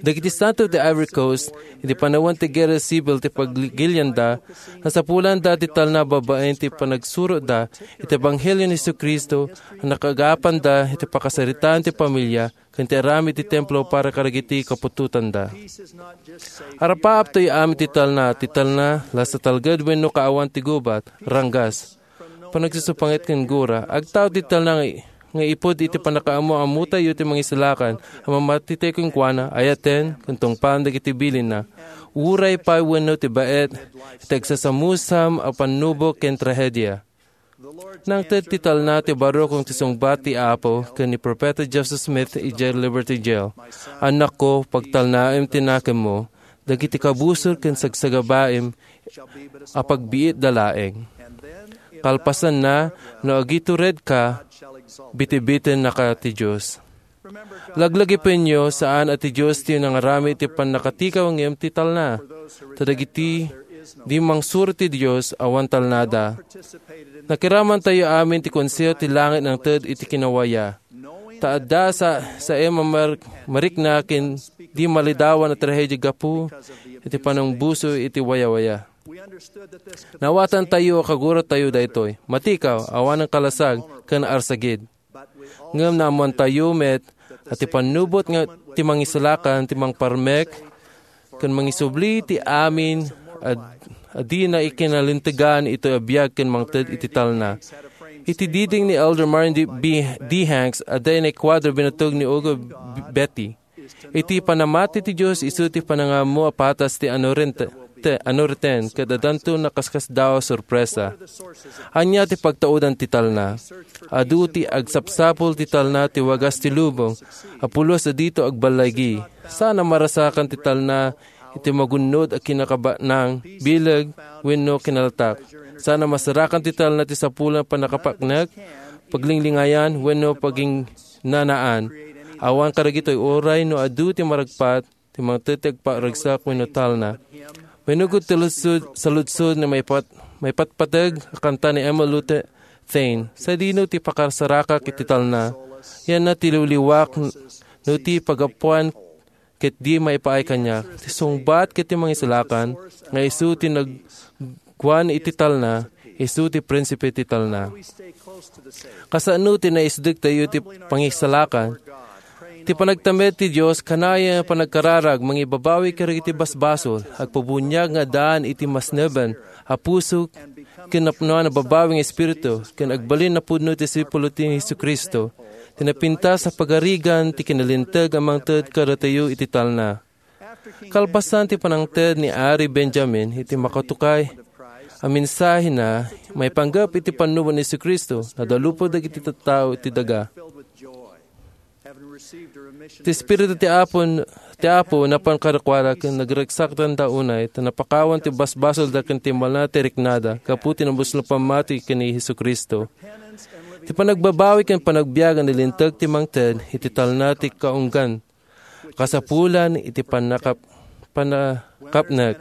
Dagiti santo ti Ivory Coast, iti panawen ti Guerra Civil ti pagligilianda, nasapulanda ti talna babaen ti panagsurotda iti Ebanghelio ni Jesu-Cristo a nakaagapanda iti pakasaritaan ti pamilia ken ti aramid ti templo para kadagiti kaputotanda. Arapaapto amin ti talna, ti talna, lasta talged wenno kaawan ti gubat, ranggas, panagsusupangit ken gura. Agtaud ti talna nga, nga ipud iti pannakaammo-ammotayo ti mangisalakan a mamatitayo kenkuana, ayaten, ken tungpaen dagiti bilinna. Uray pay wenno ti baet, iti agsasamusam a pannubok ken trahedia. Nangted ti talna ti barukong ti sungbat ti Apo ken ni Profeta Joseph Smith idiay Liberty Jail. Annakko, pagtalnaem ti nakemmo, dagiti kabusor ken sagsagabaem a pagbiitda laeng. Kalpasanna, no agituredka, bitibitennaka ti Dios. Laglagipenyo, saan a ti Dios ti nangaramid ti pannakatikaw ngem ti talna. Ta dagiti di mangsuro ti Dios, awan talnada. Nakiramantayo amin ti konseho ti langit nangted iti kinawaya. Ta adda sa, saem a mar-, marikna ken di malidawan a trahedia gapu iti panangbuso iti wayawaya. Nawatantayo a kaguratayo daytoy. Matikaw, awanen kalasag, ken arsagid. Ngem naammoantayo met a ti pannubot nga ti mangisalakan, ti mangparmek, ken mangisubli ti amin a, a dina ikinalintegan itoy a biag ken mangted iti talna. Iti diding ni Elder Martin D. B-, D. Hanks, adda inay kuadro binatog ni Hugo B-, Betti. Iti panamati ti Dios, isu ti panangammo a patas ti anurente-, te-, anuriten, ket addanto nakaskasdaaw a sorpresa. Ania ti pagtaudan ti talna? Adu ti agsapsapul ti talna ti wagas ti lubong a pulos a dito agballigi. Saan a marasakan ti talna iti magunnod a kinakabanang, bileg, wenno kinalatak. Saan a masarakan ti talna ti sapulan pannakapaknek, paglinglingayan, wenno paging-, nanaan. Awan kadagitoy uray no adu ti maragpat, ti mangted ti agparagsak wenno talna. Manugot ti ludsod, saludsod nga maipat-, maipatpateg a kanta ni Emma Lou Thayne, "Sadino ti pakasarakak iti talna? Yanna ti liwliwak no ti pagapuan ket di maipaay kaniak." Ti sungbat ket ti mangisalakan nga isu ti nagguan iti talna, isu ti prinsipe ti talna. Kasano ti naisdegtayo ti pangisalakan? Ti panagtamed ti Dios kanayon a panagkararag mangibabawi kadagiti basbasol, agpabuniag nga addaan iti masneben a puso ken napnoan a babawi nga espiritu, ken agbalin a pudno ti disipulo ti Jesu-Cristo, ti napintas a pagarigan ti kinalinteg a mangted kadatayo iti talna. Kalpasan ti panangted ni Ari Benjamin iti makatukay a mensahena maipanggep iti pannubo ni Jesu-Cristo, nadalupod dagiti tattao iti daga. Ti Espiritu ti Apo, ti Apo napan kadakuada ken nagragsakdanda unay, ta napakawan ti basbasolda ken timmalna ti riknada gapu ti nabuslo a pammati ken ni Jesu-Cristo. Ti panagbabawi ken panagbiag a nalinteg ti mangted iti talna ti kaunggan. Kasapulan iti pannakap-, pannakapnek.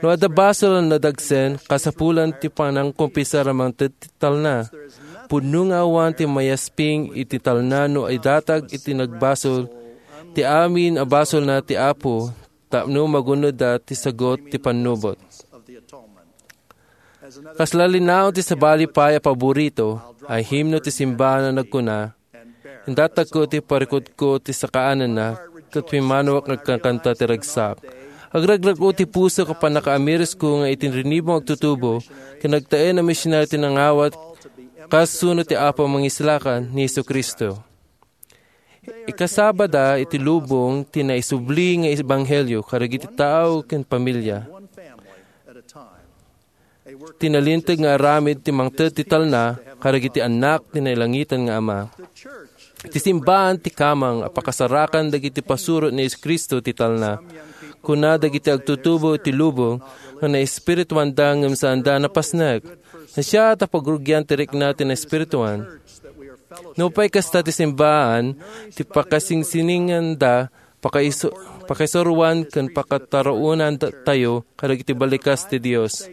No adda basol a nadagsen, kasapulan ti panangkumpisar a mangted ti talna. Pudno nga awan ti mayasping iti talna no idatag iti nagbasol ti amin a basolna ti Apo, tapno magunodda ti sagut ti pannubot. Kasla linaon ti sabali pay a paborito a himno ti simbahan a nagkuna, "Indatagko ti parikutko ti sakaananna, ket pimmanoak nga agkakanta ti ragsak." Agragrak-o ti pusok a pannakaamirusko nga iti rinibong agtutubo, ken agtaeng a misionaryo ti nangawat kas suno ti Apo a Mangisalakan ni Jesu-Cristo. Ikasabada iti lubong ti naisubli nga ebanghelio kadagiti tao ken pamilia. Ti nalinteg nga aramid ti mangted ti talna kadagiti annak ti nailangitan nga Ama. Ti simbahan ti kamang a pakasarakan dagiti pasuro ni Jesu-Cristo ti talna. Kuna dagiti agtutubo iti lubong nga naespirituanda ngem saanda napasnek. Nasia ta pagrugian ti rikna ti naespirituan. Nupay kasta ti simbahan, ti pakasingsininganda, pakaisu-, pakaisuroan ken pakataraonantayo kadagiti balikas ti Dios.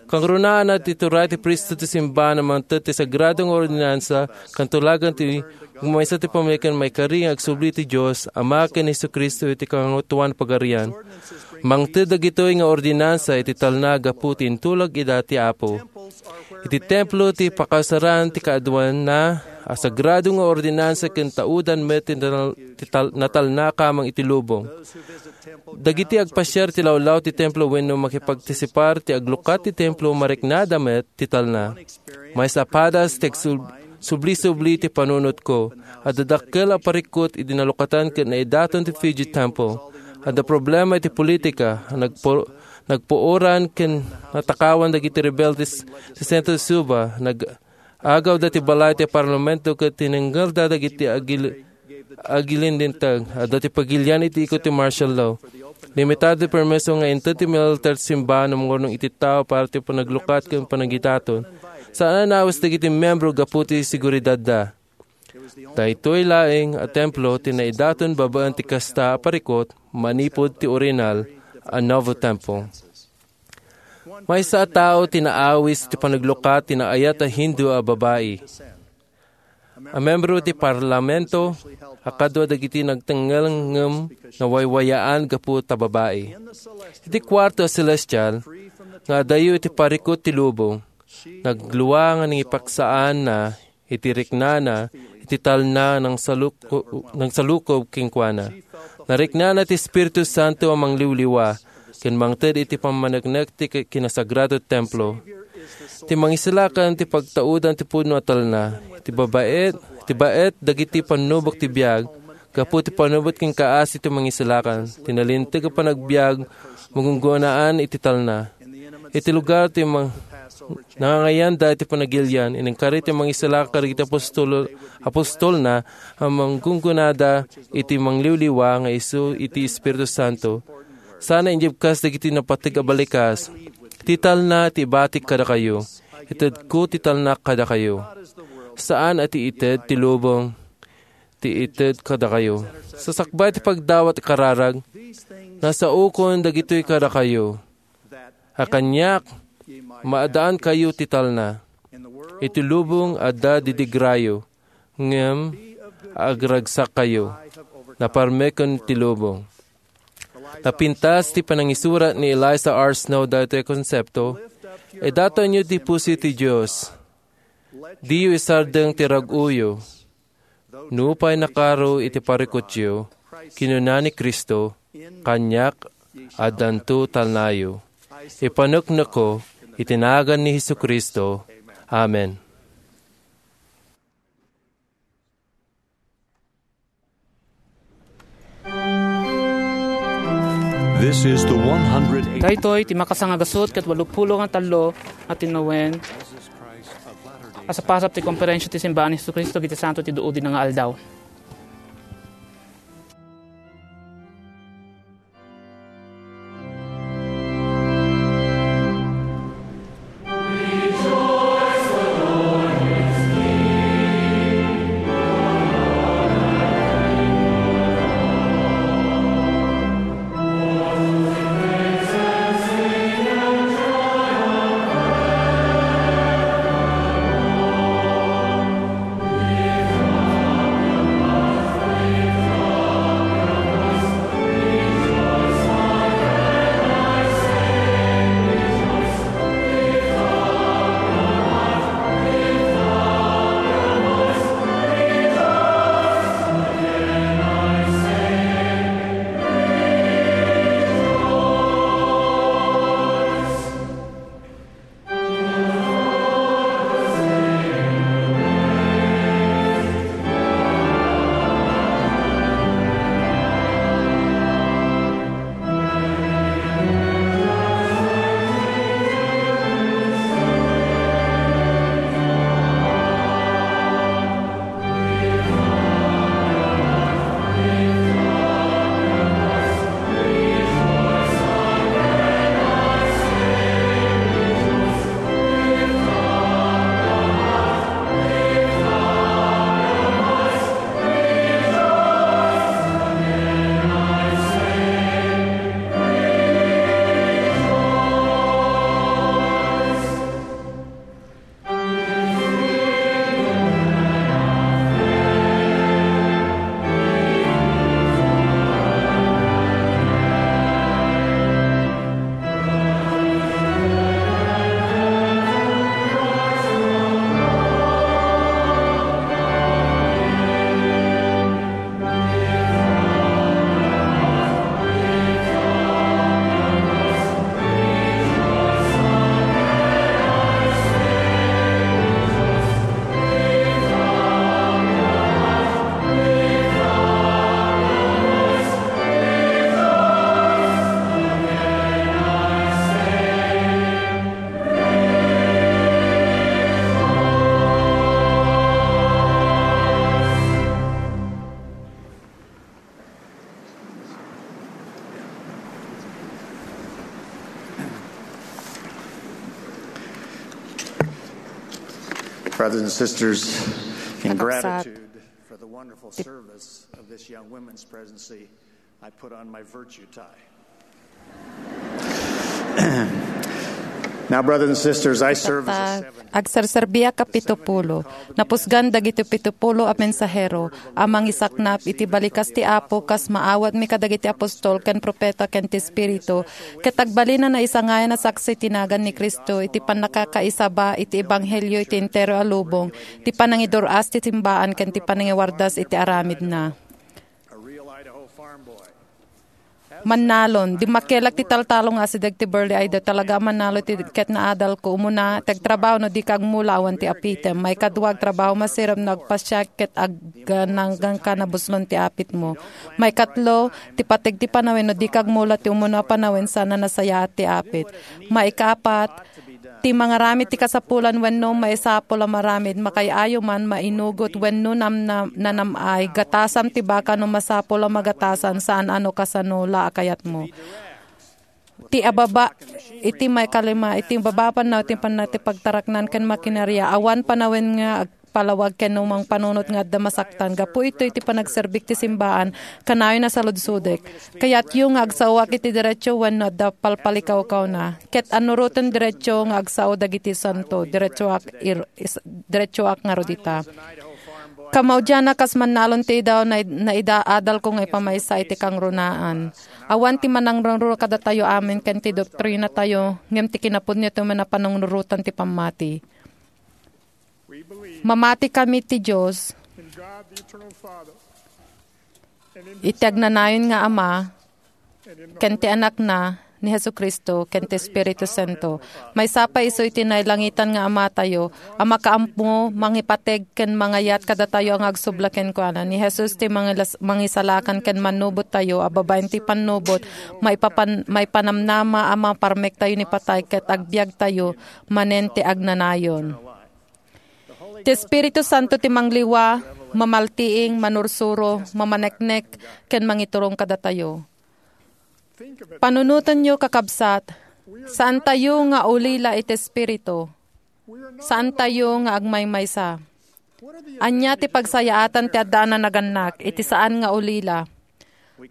Kangrunaan ti turay ti priesthood ti simbahan a mangted ti sagrado nga ordinansa, ken tulagan ti agmaysa ti pamilya ken maikari nga agsubli ti Dios, Ama ken Jesu-Cristo iti Kangatoan Pagarian. Mangted dagitoy nga ordinansa iti talna gapu ti intulag ida ti Apo. Iti templo ti pakasaran ti kaaduanna a sagrado nga ordinansa ken taudan met ti tal-, ti tal-, natalna kamang iti lubong. Dagiti agpasiar ti lawlaw ti templo wenno makipagtisipar ti aglukat ti templo, mariknada met ti talna. Maysa a padas ti agsub-, subli-subli ti panunotko. Adda dakkel a parikut idi nalukatan ket naidaton ti Fuji Temple. Adda problema iti politika, nagpu-, nagpuoran ken natakawan dagiti rebeldes ti Sentro de Suba, nag-agawda ti balay ti parlamento ket tinenggelda dagiti agil-, agilindinteg. Adda ti pagilian iti ikot ti martial law. Limitado ti permiso nga inted ti militer ti simbahan a mangurnong iti tao para ti panaglukat ken panagidaton. Saan a naawis dagiti miyembro gapu ti seguridadda. Daytoy laeng a templo ti naidaton babaen ti kasta a parikut manipud ti orihinal a Nauvoo Temple. Maysa a tao ti naawis ti panaglukat ti naayat a Hindu a babai. A membro ti parlamento a kadua dagiti nagtengngel ngem nawaywayaan gapu ta babai. Iti kuarto a selestial nga adayo iti parikut ti lubong, naglua nga nangipaksaanna iti riknana iti talna nangsaluko-, nangsalukob kenkuana. Nariknana ti Espiritu Santo a mangliwliwa ken mangted iti pammaneknek ti ki-, kinasagrado templo. Ti Mangisalakan ti pagtaudan ti pudno a talna. Ti babaet, ti baet dagiti pannubok ti biag, gapu ti pannubot ken kaasi ti Mangisalakan. Ti nalinteg a panagbiag, magunggonaan iti talna. Iti lugar ti mang-, nangangayanda iti panagilian, inengkari ti Mangisalakan kadagiti apostol-, apostolna a manggunggonada iti mangliwliwa nga isu iti Espiritu Santo. Sana injibkas dagiti napateg a balikas. Ti talna ti ibatik kadakayo. Itedko ti talna kadakayo. Saan a ti ited ti lubong ti ited kadakayo. Sasakbay ti pagdawat a kararag, nasaokon dagitoy kadakayo. A kaniak, maadaankayo ti talna. Iti lubong adda didigrayo, ngem agragsakkayo. Naparmeken ti lubong. Napintas ti panangisurat ni Eliza R. Snow daytoy a konsepto, "Idatonyo ti puso ti Dios. Diyo isardeng ti rag-oyo. Nupay nakaro iti parikutyo," kinuna ni Cristo, "kaniak, addanto talnayo." Ipaneknekko iti nagan ni Jesu-Cristo. Amen. This is the one hundred eight. Daytoy ti makasangagasut ket walupulo nga tallo nga tinnawen a sapasap ti Komperensia ti Simbaan ni Jesu-Cristo iti Santo ti Duudi nga Aldaw. Brothers and sisters, in gratitude for the wonderful service of this young women's presidency, I put on my virtue tie. Now, brothers and sisters, I serve as a seventh. Agserserbiak a pitupulo. Napusgan dagiti pitupulo a mensahero a mangisaknap iti balikas ti Apo kas maawatmi kadagiti apostol ken profeta ken ti Espiritu, ket agbalin a naisangayan a saksi ti nagan ni Cristo iti pannakakaisaba iti ebanghelio iti entero a lubong, ti panangidur-as ti simbaan ken ti panangiwardas iti aramidna. Mannalon, dimmakkelak ti taltalo nga asideg ti Burley Idaho. Talaga a mannalo ti ket naadalko. Umuna, ti agtrabaho no dika agmula awan ti apitem. Maikadua, agtrabaho masirib no agpasiak ket agganangganka nabuslon ti apitmo. Maikatlo, ti pateg ti panawen no dika agmula ti umuna a panawen saan a nasayaat ti apit. Maikapat, ti mangaramid ti kasapulan wenno maisapul a maramid, makaay-ayo man, mainugot wenno namnam-, nanam-ay, gatasam ti baka no masapul a magatasan, saan a no kasano la a kayatmo. Ti ababa, iti maikalima, iti baba a pannaw, ti panna-, ti pagtaraknan ken makinaria, awan panawen nga agpalawag ken no mangpanunot nga adda masaktan. Gapu itoy ti panagserbik ti simbaan, kanayon a saludsodek. Kayatyo nga agsaoak iti derecho wenno adda palpalikawkawna? Ket annuroten derecho nga agsao dagiti santo, derechoak ir-, is-, derechoak ngarud ita. Kamaudiana kas mannalon ti idaw, na-, naida adalko nga ipamaysa iti kangrunaan. Awan ti manangrungruna kadatayo amin ken ti doktrinatayo, ngem ti kinapudno ti umuna a panangrurutan ti pammati. Mamati kami ti Dios iti agnanayon nga Ama, ken ti Anakna, ni Jesu-Cristo, ken ti Espiritu Santo. Maysa pay isu iti nailangitan nga Amatayo, a makaammo, mangipateg, ken mangayat kadatayo nga agsubla kenkuana. Ni Jesus ti mangilas-, mangisalakan ken mannubottayo, a babaen ti pannubot, maipapan-, maipanamnama a maparmektayo ni patay, ket agbiagtayo manen ti agnanayon. Ti Espiritu Santo ti mangliwa, mamaltiing, manursuro, mamaneknek, ken mangiturong kadatayo. Panunotenyo, kakabsat, saantayo nga ulila iti Espiritu. Saantayo nga agmaymaysa. Ania ti pagsayaatan ti adda a nanagannak iti saan nga ulila?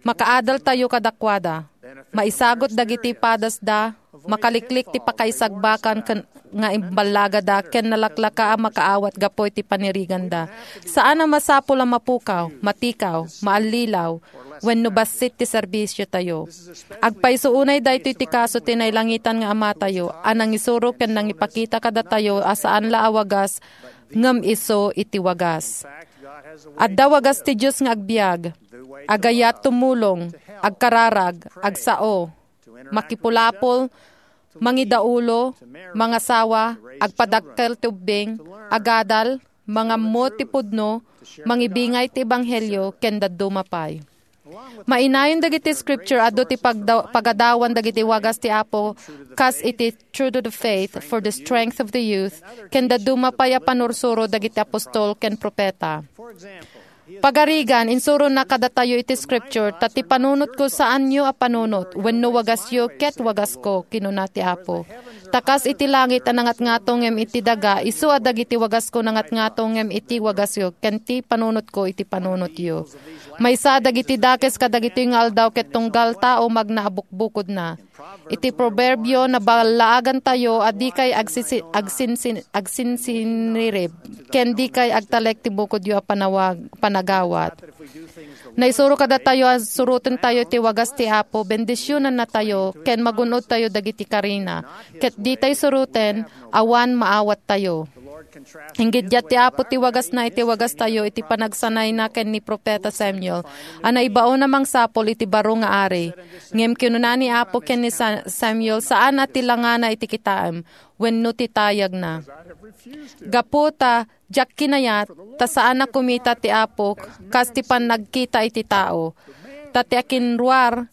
Makaadaltayo kadakuada. Maisagut dagiti padasda, makaliklik ti pakaisagbakan ken, nga imballagada ken nalaklaka a makaawat gapu iti paniriganda. Saan a masapul a mapukaw, matikaw, maallilaw, wenno bassit ti serbisiotayo. Agpayso unay daytoy ti kaso ti nailangitan nga Amatayo a nangisuro ken nangipakita kadatayo a saan la a wagas ngem isu iti wagas. Adda wagas ti Dios nga agbiag, agayat tumulong, agkararag, agsao, makipulapol, mangidaulo, mangasawa, agpadakkel ti ubbing, agadal, mangammo ti pudno, mangibingay ti ebanghelio, ken dadduma pay. Mainayon dagiti scripture, adu ti pagda-, pagadawan dagiti wagas ti Apo, kas iti True to the Faith, For the Strength of the Youth, ken dadduma pay a panursuro dagiti apostol ken profeta. Pagarigan, insurona kadatayo iti scripture, ta ti panunotko saanyo a panunot, wenno wagasyo ket wagasko, kinuna ti Apo. Ta kas iti langit a nangatngato ngem iti daga, isu a dagiti wagasko nangatngato ngem iti wagasyo, ken ti panunotko iti panunotyo. Maysa dagiti dakes kadagitoy nga aldaw ket tunggal tao magna a bukbukodna. Iti Proverbio, naballaagantayo a dikay agsisi-, agsinsin-, agsinsinirib, ken dikay agtalek ti bukodyo a panawag-, panagawat. Naisuro kadatayo a surotentayo ti wagas ti Apo, bendisionannatayo, ken magun-odtayo dagiti karina. Ket ditay suroten, awan maawattayo. Inggiddiat ti Apo ti wagasna iti wagastayo iti panagsanayna ken ni Profeta Samuel, a naibaon a mangsapul iti baro nga ari. Ngem kinuna ni Apo ken ni Sa-, Samuel, "Saan a ti langana iti kitaem, wenno ti tayagna. Gapu ta diak kinayat, ta saan a kumita ti Apo kas ti pannagkita iti tao. Ta ti akinruar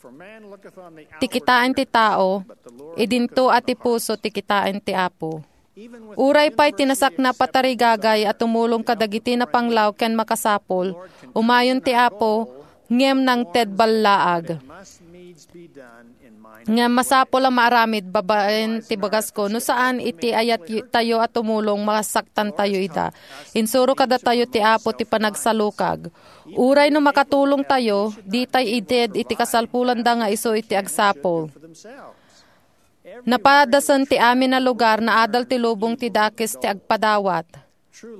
ti kitaen ti tao, idinto a ti puso ti kitaen ti Apo." Uray pay ti nasaknap a tarigagay a tumulong kadagiti napanglaw ken makasapul, umayon ti Apo, ngem nangted ballaag. Ngem masapul a maaramid babaen ti bagasko, no saan iti ayat tayo a tumulong, masaktan tayo ida. Insuro kadatayo ti Apo ti panagsalukag. Uray no makatulong tayo, ditay ited iti kasalpulanda nga isu iti agsapul. Napadasen ti amin a lugar, naadal ti lubong ti dakes ti agpadawat.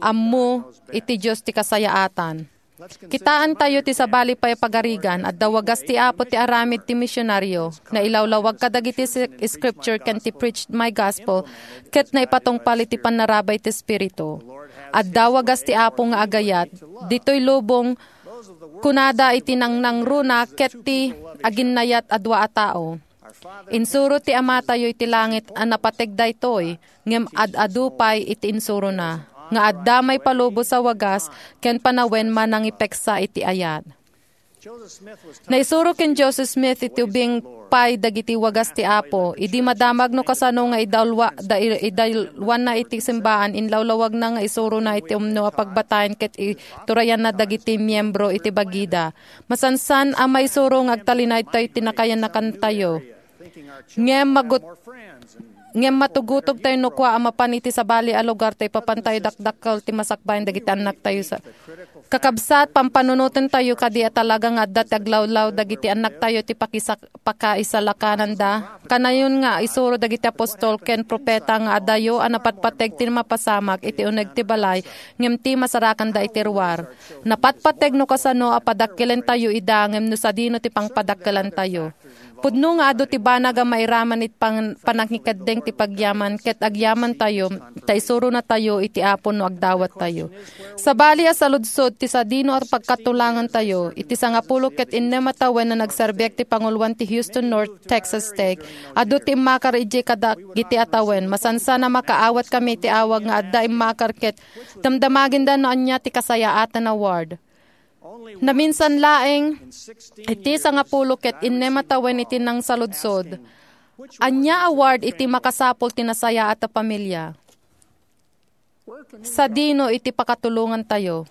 Ammo iti Dios ti kasayaatan. Kitaan tayo ti sabali pay a pagarigan, adda wagas ti Apo ti aramid ti misionaryo, nailawlawag kadagiti si-, scripture ken ti Preach My Gospel, ket naipatungpal iti pannarabay ti Espiritu. Adda wagas ti Apo nga agayat, ditoy lubong, kunada iti nangnangruna ket ti aginnayat a dua a tao. Insuro ti Amatayo iti langit a napateg daytoy, ngem ad-adu pay iti insurona, nga adda maipalubos a wagas ken panawen a nangipeksa iti ayat. Naisuro ken Joseph Smith iti ubing pay dagiti wagas ti Apo. Idi madamag no kasano nga idalwa-, da-, idalwanna iti simbaan, inlawlawagna nga isurona iti umno a pagbatayan ket iturayanna dagiti miyembro iti bagida. Masansan a maisuro nga agtalinaedtayo ti nakayan-nakaantayo. Ngem magut-, ngem matugutogtayo no kua a mapan iti sabali a lugar ta ipapantayo dakdakkel ti masakbayan dagiti annaktayo sa-, kakabsat, pampanunotentayo kadi a talaga nga adda ti aglawlaw dagiti annaktayo ti pakisak-, pakaisalakananda. Kanayon nga isuro dagiti apostol ken propeta nga adayo a napatpateg ti mapasamak iti uneg ti balay ngem ti masarakanda iti ruar. Napatpateg no kasano a padakkelentayo ida ngem no sadino ti pangpadakkelantayo. Pudno nga adu ti banag a mairaman iti pan-, panangikeddeng ti pagyaman ket agyamantayo ta isuronatayo iti Apo no agdawattayo. Sabali a saludsod ti sadino a pagkatulangantayo, iti sangapulo ket innem a tawen a nagserbiak ti panguloan ti Houston North Texas Tech, adu ti immakar idiay kadagiti a tawen. Masansan a makaawatkami iti awag nga adda immakar ket damdamaginda no ania ti kasayaatan a ward. Naminsan laeng, iti sangapulo ket innem a tawen iti nangsaludsod, ania a ward iti makasapul ti nasayaat a pamilia? Sadino iti pakatulongantayo?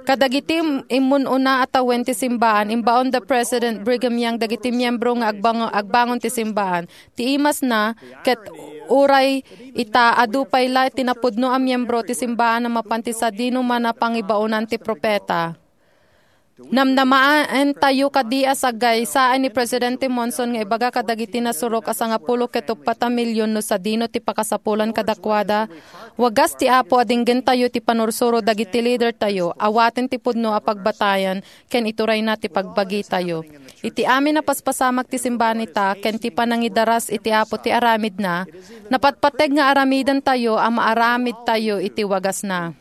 Kadagiti im-, immun-una a tawen ti simbaan, imbaon da President Brigham Young dagiti miyembro nga agbang-, agbangon ti simbaan. Ti imasna, ket uray ita, adu pay la ti napudno a miyembro ti simbaan a mapan ti sadino man a pangibaonan ti propeta. Namnamaentayo kadi a sagaysaay ni Presidente Monson nga ibaga kadagiti nasurok a sangapulo ket uppat a milion no sadino ti pakasapulan kadakuada. Wagas ti Apo a dinggentayo ti panursuro dagiti leadertayo, awaten ti pudno a pagbatayan, ken iturayna ti pagbagitayo. Iti amin a paspasamak ti simbaan ita, ken ti panangidaras iti Apo ti aramidna, napatpateg nga aramidantayo a maaramidtayo iti wagasna.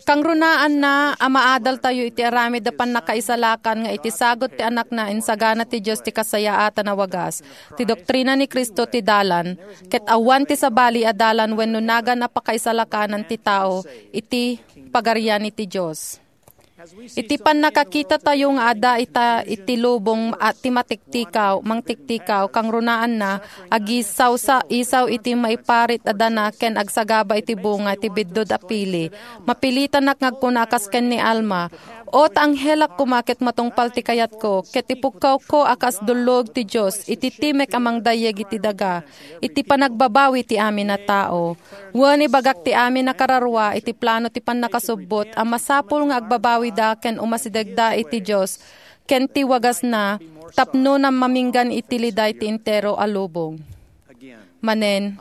Kangrunaanna a maadaltayo iti aramid a pannakaisalakan nga iti sagut ti Anakna, insagana ti Dios ti kasayaatan a wagas. Ti doktrina ni Cristo ti dalan, ket awan ti sabali a dalan wenno nagan a pakaisalakanan ti tao iti pagarian iti Dios. Iti pannakakitatayo nga adda ita iti lubong a ti matiktikaw, mangtiktikaw, kangrunaanna, agisawsa-, isaw iti maiparit a dana ken agsagaba iti bunga ti biddut a pili. Mapilitanak nga agkuna a kas ken ni Alma, "O, ta anghelak koma ket matungpal ti kayatko, ket ipukkawko a kas dullog ti Dios iti timek a mangdayeg iti daga, iti panagbabawi ti amin a tao." Wen, ibagak ti amin a kararua iti plano ti pannakasubbot a masapul nga agbabawida ken umasidegda iti Dios ken ti wagasna tapno namaminggan iti liday ti entero a lubong. Manen,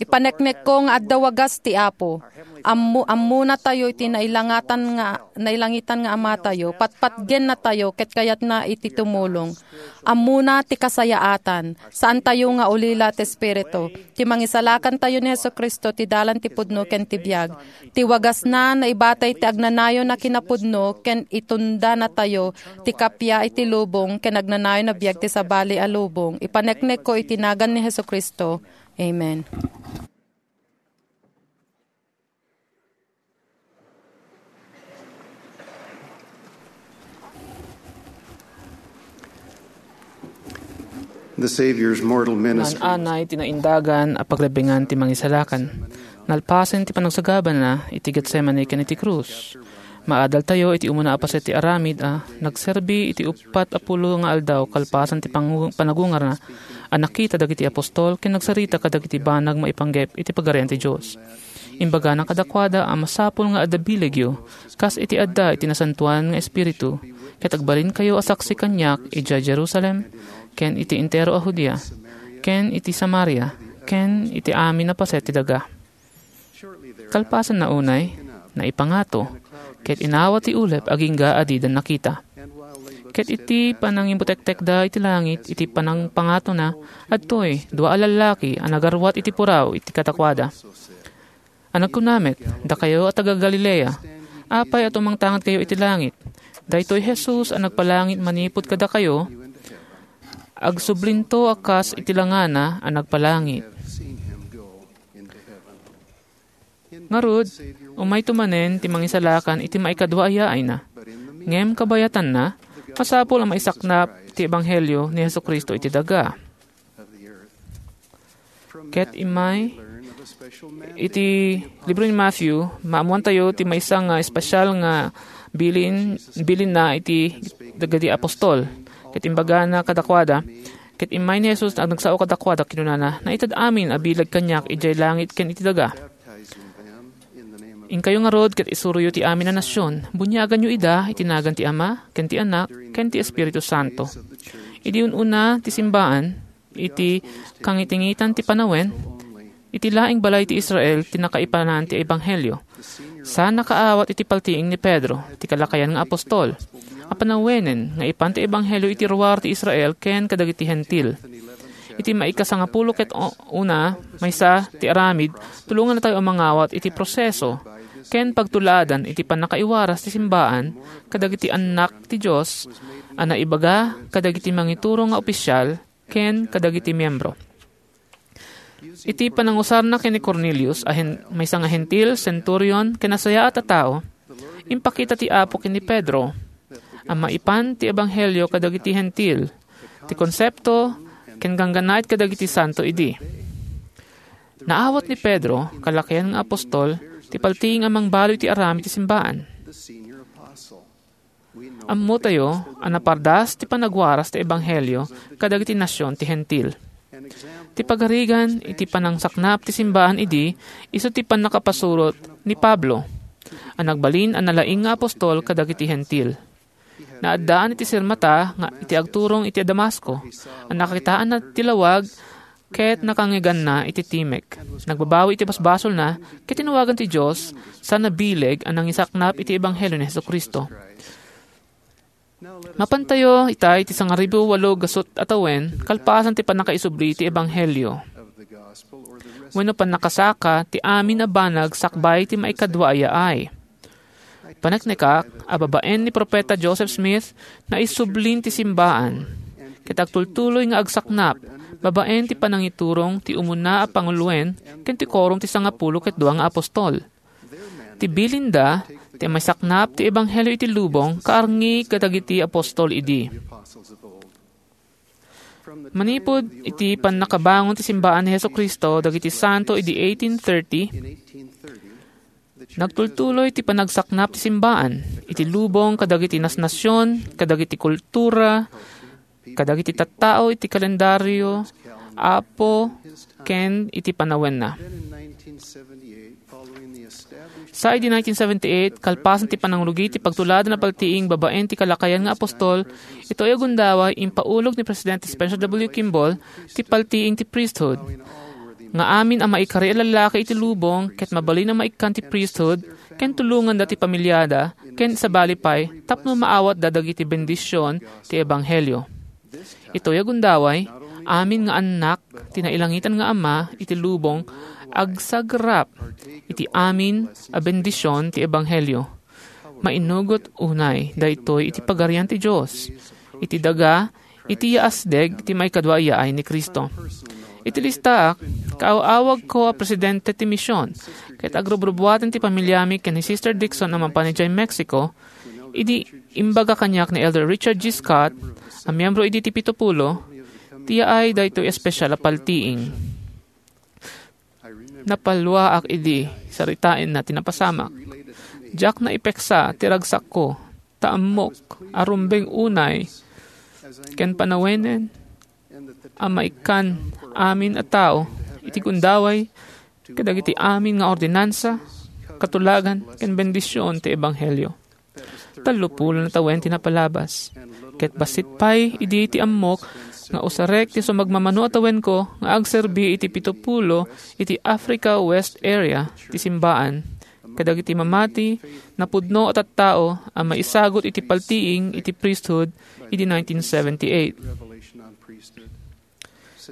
ipaneknekko nga adda wagas ti Apo. Ammo-, ammonatayo iti nailangatan nga, nailangitan nga Amatayo, patpatgennatayo ket kayatna iti tumulong. Ammona ti kasayaatan, saantayo nga ulila ti Espiritu. Ti mangisalakantayo ni Jesu-Cristo ti dalan ti pudno ken ti biag. Ti wagasna, naibatay ti agnanayon a kinapudno ken itundanatayo ti kappia iti lubong ken agnanayon a biag ti sabali a lubong. Ipaneknekko iti nagan ni Jesu-Cristo. Amen. The Savior's mortal ministry. Naan-anay ti naindagan a pagrebbingan ti Mangisalakan. Nalpasen ti panagsagabana iti Getsemane ken iti krus. Maadaltayo iti umuna a paset ti aramid a nagserbi iti uppat a pulo nga aldaw kalpasan ti pangu-, panagungarna a nakita dagiti apostol ken nagsarita kadagiti banag maipanggep iti Pagarian ti Dios. Imbagana kadakuada a masapul nga adda bilegyo kas iti adda iti Nasantoan nga Espiritu, ket agbalinkayo a saksi kaniak idiay Jerusalem, ken iti entero a Judea, ken iti Samaria, ken iti amin a paset ti daga. Kalpasanna unay, naipangato, ket inawat ti ulep agingga a dida nakita. Ket iti panangibutektekda iti langit, iti panangpangatona, adtoy dua a lallaki a nagarwat iti puraw iti kadakuada. A nagkuna met, "Dakayo a taga-Galilea, apay a tumangtangad kayo iti langit? Daytoy Jesus a nagpalangit manipud kadakayo, agsublinto a kas iti langana a nagpalangit." Ngarud, umayto manen ti Mangisalakan iti maikadua a yaayna. Ngem kabayatanna, masapul a maisaknap ti ebanghelio ni Jesu-Cristo iti daga. Ket immay iti libro ni Matthew, maammoantayo ti maysa nga espesyal nga bilin, bilinna iti dagiti apostol. Ket imbagana kadakuada, ket immay ni Jesus a nagsao kadakuada, kinunana, "Naited amin a bileg kaniak idiay langit ken iti daga. Inkayo ngarud ket isuroyo ti amin a nasion. Buniaganyo ida iti nagan ti Ama, ken ti Anak, ken ti Espiritu Santo." Idi un-una ti simbaan, iti kangitingitan ti panawen, iti laeng balay ti Israel ti nakaipanan ti ebanghelio. Saan a kaawat iti paltiing ni Pedro, ti kalakayan nga apostol, a panawenen nga ipan ti ebanghelio iti ruar ti Israel ken kadagiti Hentil. Iti maikasangapulo ket o-, una, maysa ti aramid, tulongannatayo a mangawat iti proseso ken pagtulaadan iti pannakaiwaras ti simbaan kadagiti annak ti Dios a naibaga kadagiti mangituro nga opisial ken kadagiti miembro. Iti panangusarna ken ni Cornelius a hen-, maysa nga Hentil, senturyon, ken nasayaat a tao, impakita ti Apo ken ni Pedro a maipan ti ebanghelio kadagiti Hentil, ti konsepto, ken ganggannaet kadagiti santo idi. Naawat ni Pedro, kalakayan nga apostol, ti paltiing a mangbaloy ti aramid ti simbaan. Ammotayo a napardas ti panagwaras ti ebanghelio kadagiti nasion ti Hentil. Ti pagarigan iti panangsaknap ti simbaan idi isu ti pannakapasurot ni Pablo a nagbalin a nalaing nga apostol kadagiti Hentil. Naaddaan iti sirmata nga iti agturong iti Damasco a nakakitaanna ti lawag ket nakangiganna iti timek. Nagbabawi iti basbasolna ket tinawagan ti Dios sa nabileg a nangisaknap iti ebanghelio ni Jesu-Cristo. Mapantayo ita iti sangaribu walo gasut a tawen kalpasan ti pannakaisubli ti ebanghelio wenno pannakasaka ti amin a banag sakbay ti maikadua a yaay. Paneknekak a babaen ni Profeta Joseph Smith, naisublin ti simbaan ket agtultuloy nga agsaknap babaen ti panangiturong ti umuna a panguloen ken ti korom ti sangapulo ket dua nga apostol. Ti bilinda ti maisaknap ti ebanghelio iti lubong kaarngi kadagiti apostol idi. Manipud iti pannakabangon ti simbaan ni Jesu-Cristo dagiti santo idi eighteen thirty, nagtultuloy ti panagsaknap ti simbaan iti lubong kadagiti nasnasion, kadagiti kultura, kadagiti tattao iti kalendario, Apo, ken iti panawenna. Sa idi nineteen seventy-eight, kalpasan ti panangrugi ti pagtuladan a paltiing babaen ti kalakayan nga apostol, itoy a gundaway, impaulog ni Presidente Spencer W. Kimball ti paltiing ti priesthood, nga amin a maikari a lallaki iti lubong ket mabalin a maikkan ti priesthood, ken tulonganda ti pamiliada, ken sabali pay tapno maawatda dagiti bendision ti ebanghelio. Itoy a gundaway, amin nga annak ti nailangitan nga Ama iti lubong agsagrap iti amin a bendision ti ebanghelio. Mainugot unay daytoy iti Pagarian ti Dios, iti daga, iti yaasdeg ti maikadua a yaay ni Cristo. Iti listaak, kaaw-awagko a presidente ti mision, ket agrubrubuaten ti pamiliami ken ni Sister Dixon a mapan idiay Mexico, idi imbaga kaniak ni Elder Richard G. Scott, a miyembro idi ti Pito Pulo, ti yaay daytoy espesial a paltiing. Napaluaak idi saritaenna ti napasamak. Diak naipeksa ti ragsakko, ta ammok a rumbeng unay ken panawenen a maikkan amin a tao iti gundaway kadagiti amin nga ordinansa, katulagan, ken bendision ti ebanghelio. Tallopulo a tawen ti napalabas, ket bassit pay idi ti ammok nga usarek ti sumagmamano a tawenko nga agserbi iti pitopulo iti Africa West Area ti simbaan kadagiti mamati, napudno a tattao a maisagut iti paltiing iti priesthood idi nineteen seventy-eight.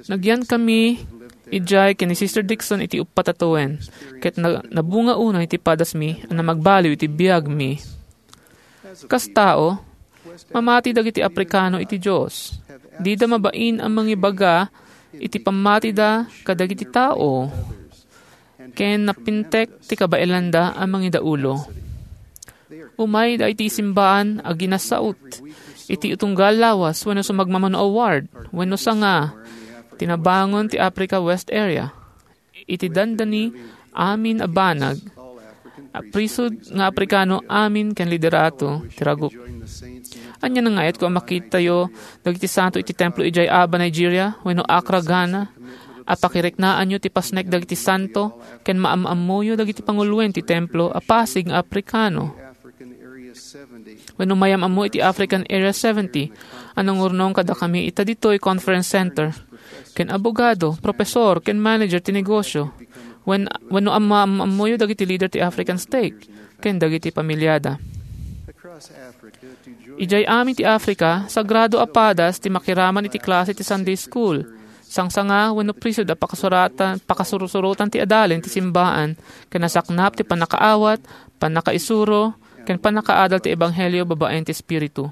Nagyankami idiay ken ni Sister Dixon iti uppat a tawen, ket na-, nabunga unay ti padasmi a namagbalin iti biagmi. Kas tao, mamati dagiti Afrikano iti Dios. Dida mabain a mangibaga iti pammatida kadagiti tao, ken napintek ti kabaelanda a mangidaulo. Umayda iti simbaan a ginasaut iti tunggal lawas wenno sumagmamano a ward wenno sanga ti nabangon ti Africa West Area. Iti dandani amin a banag, a priesthood nga Afrikano amin ken liderato ti ragup. Ania nga ngayatko a makitayo dagiti santo iti templo idiay Aba, Nigeria, wenno Accra, Ghana, a pakiriknaanyo ti pasnek dagiti santo ken maam-ammoyo dagiti panguloen ti templo a pasig nga Afrikano. Wenno mayam-ammo iti African Area seventy a nangurnong kadakami ita ditoy Conference Center, ken abogado, professor, ken manager ti negosyo, wen-, wenno amma-, ammoyo dagiti leader ti African stake, ken dagiti pamilyada. Idiay amin ti Africa, sagrado a padas ti makiraman iti klase ti Sunday school, sangsanga wenno priesthood a pakasuratan, pakasursurotan ti adalen ti simbaan, ken nasaknap ti pannakaawat, pannakaisuro, ken pannakaadal ti ebanghelio babaen ti Espiritu.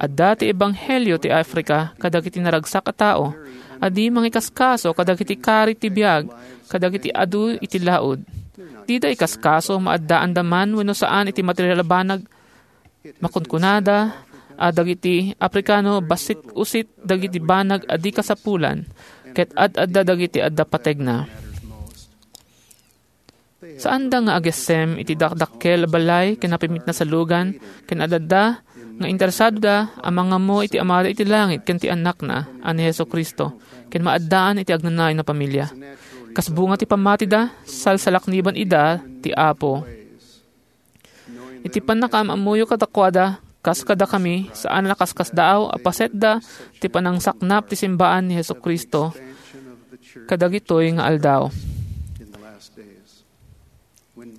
Adda ti ebanghelio ti Africa kadagiti naragsak a tao a di mangikaskaso kadagiti kari ti biag kadagiti adu iti laud. Dida ikaskaso maaddaanda man wenno saan iti material a banag. Makunkunada a dagiti Afrikano bassit-usit dagiti banag a di kasapulan, ket ad-adda dagiti adda pategna. Saanda nga agessem iti dakdakkel a balay ken napimit a salugan, ken ad-adda nga interesadoda a mangammo iti Amada iti langit ken ti Annakna a ni Jesu-Cristo, ken maaddaan iti agnanayon a pamilia. Kas bunga ti pammatida, salsalakniban ida ti Apo. Iti pannakaam-ammoyo kadakuada, kas kadakami, saan a nakaskasdaaw a pasetda ti panangsaknap ti simbaan ni Jesu-Cristo kadagitoy nga aldaw.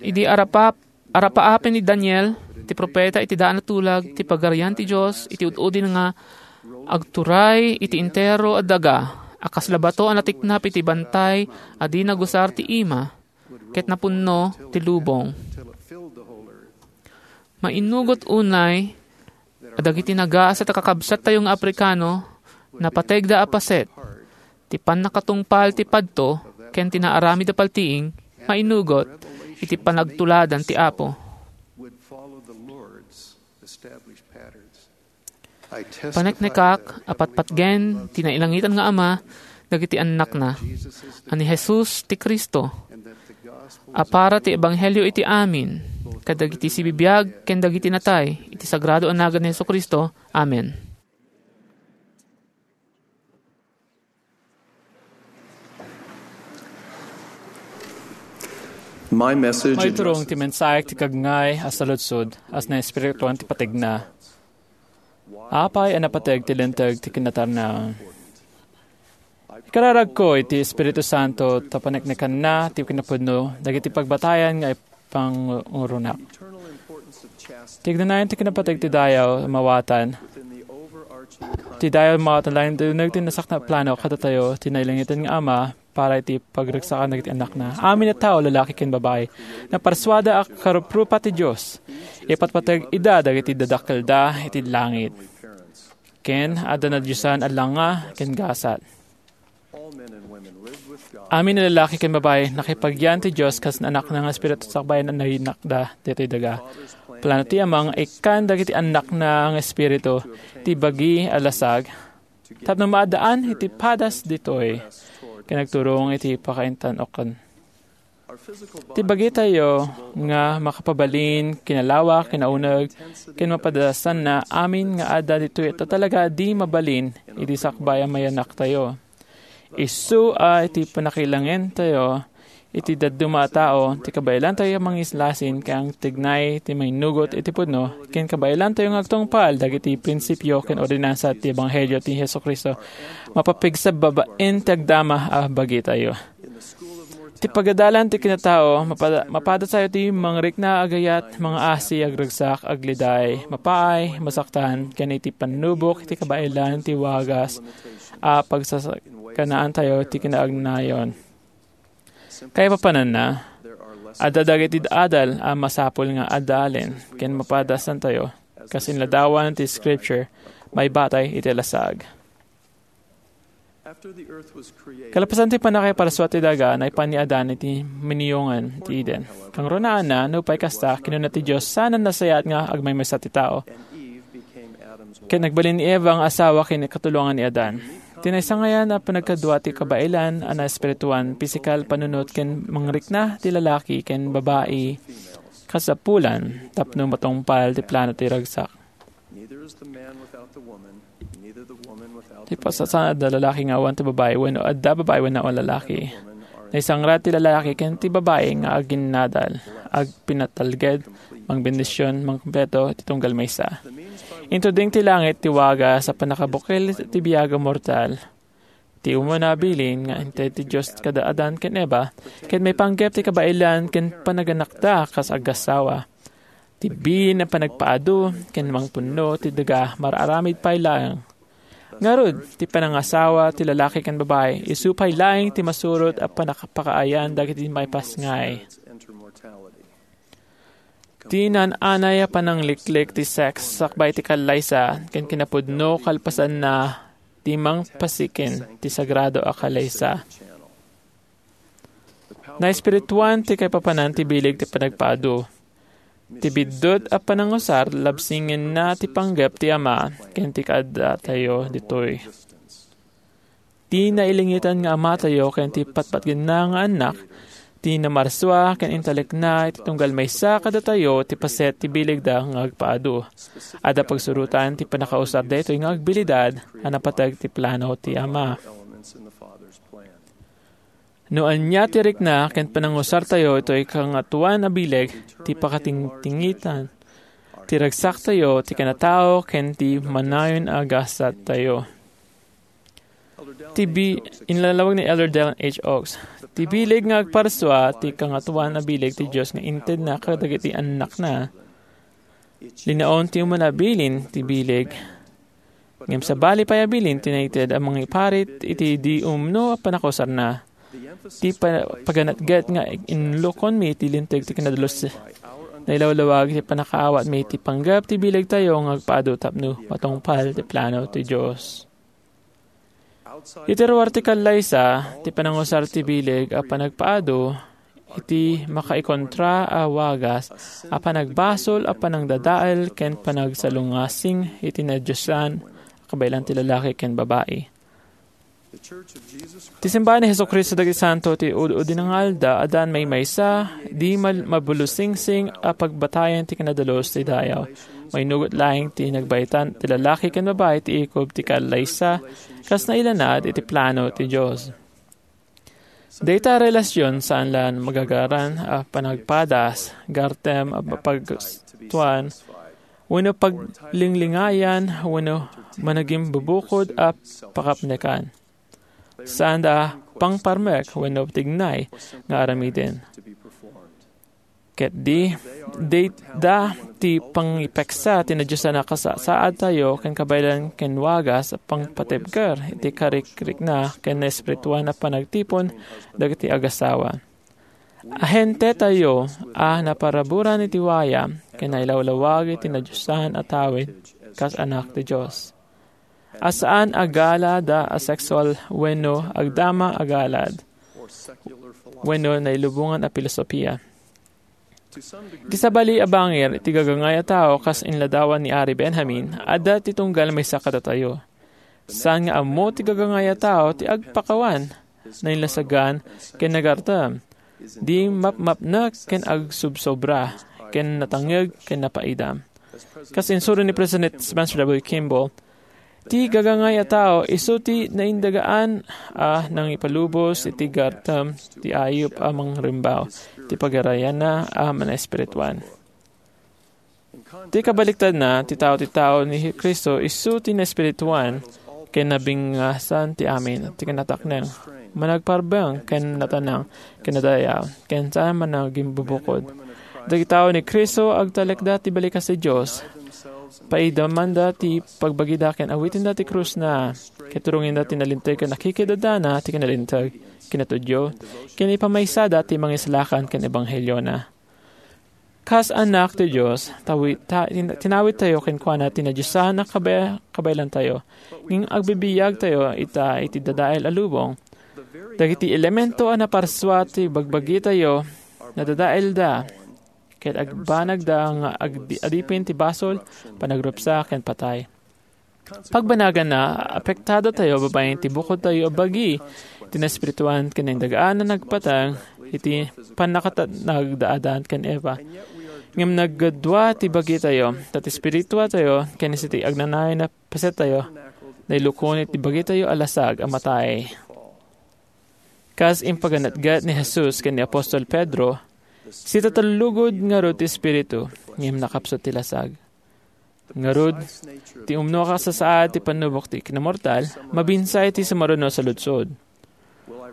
Idi arapap-, arapaapen ni Daniel, ti propeta iti daan a tulag, ti Pagarian ti Dios iti ud-udin nga agturay iti entero a daga a kasla bato a natiknap iti bantay a di nagusar ti ima, ket napunno ti lubong. Mainnugot unay a dagiti nagasat a kakabsattayo nga Afrikano, napategda a paset ti pannakatungpal ti padto ken ti naaramid a paltiing, mainnugot iti panagtuladan ti Apo. Paneknekak a patpatgen ti nailangitan nga Ama dagiti annakna, a ni Jesus ti Cristo, a para ti ebanghelio iti amin, kadagiti sibibiag ken dagiti natay, iti sagrado a nagan ni Jesu-Cristo. Amen. My message Maiturong ti mensahe ti kagngay a saludsod, a naespirituan ti pategna. Apay a napateg ti linteg ti kinatarnaon? Ikararagko iti Espiritu Santo ta paneknekanna ti kinapudno dagiti pagbatayan nga ipanguronak. Ti agnanayon ti kinapateg ti dayaw a mawatan, ti dayaw a mawatan laeng ti uneg ti nasaknap plano kadatayo ti nailangitan nga Ama para iti pagragsakan dagiti annakna. Amin a tao, lalaki ken babai, naparsuada a karuprupa ti Dios. Ipatpateg ida dagiti dadakkelda iti langit. Ken adda nadiosan a langa ken gasat. Amin a lalaki ken babai, nakipagyan ti Dios kas Anakna nga Espiritu sakbayan a nainakda ditoy daga. Plano ti Ama nga ikkan dagiti annakna nga espiritu ti bagi a lasag tapno maaddaan iti padas ditoy ken agturong iti pakaintan-okan. Ti bagitayo nga makapabalin, kinalawak, kinauneg, ken mapadasanna amin nga adda ditoy a talaga a di mabalin iti sakbay a mayanaktayo. Isu a iti pannakailangentayo iti dadduma a tao, ti kabaelantayo a mangislasin ken agtignay ti mainnugot iti pudno, ken kabaelantayo nga agtungpal dagiti prinsipio ken ordinansa ti Ebanghelio ti Jesu-Cristo, mapapigsa babaen ti agdama a bagitayo. Ti pagadalan ti kinatao, mapada-, mapadasayo ti mangrikna, agayat, mangaasi, agragsak, agliday, mapaay, masaktan, ken iti pannubok iti kabaelan ti wagas a pagsasakanaantayo ti kinaagnayon. Kaipapananna, adda dagiti adal a masapul nga adalen ken mapadasantayo, kas inladawan ti Scripture, maibatay iti lasag. Kalapasan ti pannakaiparsua ti daga, naipan ni Adan iti miniyongan ti Eden. Kangrunaanna, nupay kasta, kinuna ti Dios, "Saan a nasayaat nga agmaymaysa ti tao?" Ken nagbalin ni Eva nga asawa ken katulongan ni Adan. Ti naisangayan a panagkadua ti kabaelan a naespirituan, pisikal, panunot ken mangrikna ti lalaki ken babai kasapulan tapno matungpal ti plano ti ragsak. Neither is the man without the woman, neither the woman without the man. Ti pasasangan adda lalaki nga awan ti babai, wenno adda babai wenno awan lalaki. Naisangra ti lalaki ken ti babai nga aginnadal, agpinatalged, mangbendision, mangkompleto iti tunggal maysa. Intuding ti langit ti wagas a pannakabukel ti biag a mortal. Ti umuna a bilin nga inted ti Dios kada Adan ken Eva, ket maipanggep ti kabaelan ken panaganakda kas agasawa. Ti bilin a panagpaadu ken mangpunno ti daga, mar-aramid pay laeng. Ngarud, ti panangasawa ti lalaki ken babai, isu pay laeng ti masurot a panakapakaayan dagiti maipasngay. Ti naan-anay a panangliklik ti sex sakbay ti kallaysa ken kinapudno kalpasanna ti mangpasiken ti sagrado a kallaysa. Naespirituan ti kaipapanan ti bileg ti panagpaadu. Ti biddut a panangusar labsingenna ti panggep ti Ama ken ti kaadatayo ditoy. Ti nailingitan nga Amatayo ken ti patpatgenna nga Annak, ti namarsua ken intalekna iti tunggal maysa kadatayo ti paset ti bilegda nga agpaadu. Adda pagsurotan ti pannakausar daytoy nga agbilidad a napateg ti plano ti Ama. No ania ti rikna ken panangusartayo itoy kangatoan a bileg ti pakatingtingitan ti ragsaktayo, ti kinatao, ken ti manayon a gasattayo. Ti bi-, inlalawag ni Elder Dallin H. Oaks, "Ti bileg nga agparsua ti kangatoan a bileg ti Dios nga intedna kadagiti annakna." Linaon ti umuna a bilin ti bileg. Ngem sabali pay a bilin ti naited a mangiparit iti di umno a panakausarna. Ti pa-, paganatget nga inlukonmi ti linteg ti kinadalus, nailawlawag ti pannakaawatmi ti panggep ti bilegtayo nga agpaadu tapno matungpal ti plano ti Dios. Iti ruar ti kallaysa, ti panangusar ti bileg a panagpaadu iti makaikontra a wagas a panagbasol a panangdadael ken panagsalungasing iti nadiosan a kabaelan ti lalaki ken babai. Ti simbahan ni Jesu-Cristo dagiti Santo ti Ud-udi nga Alda, addan maymaysa, di mal-, mabulusingsing a pagbatayen ti kinadalus ti dayaw. Mainugot laeng ti nagbaytan ti lalaki ken babai ti ikob ti kallaysa, kas nailanad iti plano ti Dios. Dayta a relasyon saan la magagaran a panagpadas, gartem a pagtuan, wenno paglinglingayan, wenno managimbubukod a pakapnekan. Saanda a pangparmek wenno tignay nga aramiden. Ket di, dayta ti pangipeksa ti nadiosan a kasasaadtayo ken kabaelan ken wagas a pangpatibker iti karikrikna ken naespirituan a panagtipon dagiti agasawa. Ahentetayo a naparaburan iti waya ken nailawlawag iti nadiosan a tawid kas anak ti Dios. A saan a gala da a sexual wenno agdama a galad wenno nailubongan a filosofia. Iti sabali a bangir iti gagangay a tao, kas inladawan ni Ari Benjamin, adda ti tunggal maysa kadatayo. Saan nga ammo ti gagangay a tao ti agpakawan, nainlasagan, ken nagartem. Di mapmapnek ken agsubsobra, ken natangngeg ken napaidam. Kas insuro ni President Spencer W. Kimball, ti gagangay a tao isu ti naindagaan a nangipalubos iti gartem ti ayup a mangrembaw ti pagarayanna a manaespirituan. Ti kabaliktadna, ti tao ti tao ni Cristo isu ti naespirituan ken nabingasan ti amin ti kinatakneng, managparbeng ken natanang ken nadayaw, ken saan managimbubukod. Dagiti tao ni Cristo agtalekda ti balikas ti Dios. Paidamanda ti pagbagida ken awitenda ti krusna, ket turongenda ti nalinteg ken nakikidadana ti kinalinteg, kinatudyo, ken ipamaysada ti mangisalakan ken ebangheliona. Kas annak ti Dios, tawi-, ta-, tin-, tinawittayo kenkuana ti nadiosan a kabe-, kabaelantayo. Ngem agbibiagtayo ita iti dadael a lubong. Dagiti elemento a naparsua ti bagbagitayo, nadadaelda, ket agbanagda nga agdi-, adipin ti basol, panagrupsa, ken patay. Pagbanaganna, apektadatayo babaen ti bukodtayo a bagi ti naespirituan ken naindagaan a nagpatang iti pannakatanagda Adan ken Eva. Ngem nagdua ti bagitayo, ta ti espirituatayo ken iti agnanayon a pasettayo, nailukon iti bagitayo a lasag a matay. Kas impaganetget ni Jesus ken ni apostol Pedro, sitatellugod ngarud ti espiritu, ngem nakapsut ti lasag. Ngarud, ti umno a kasasaad ti pannubok ti kinamortal, mabinsay ti sumaruno a saludsod.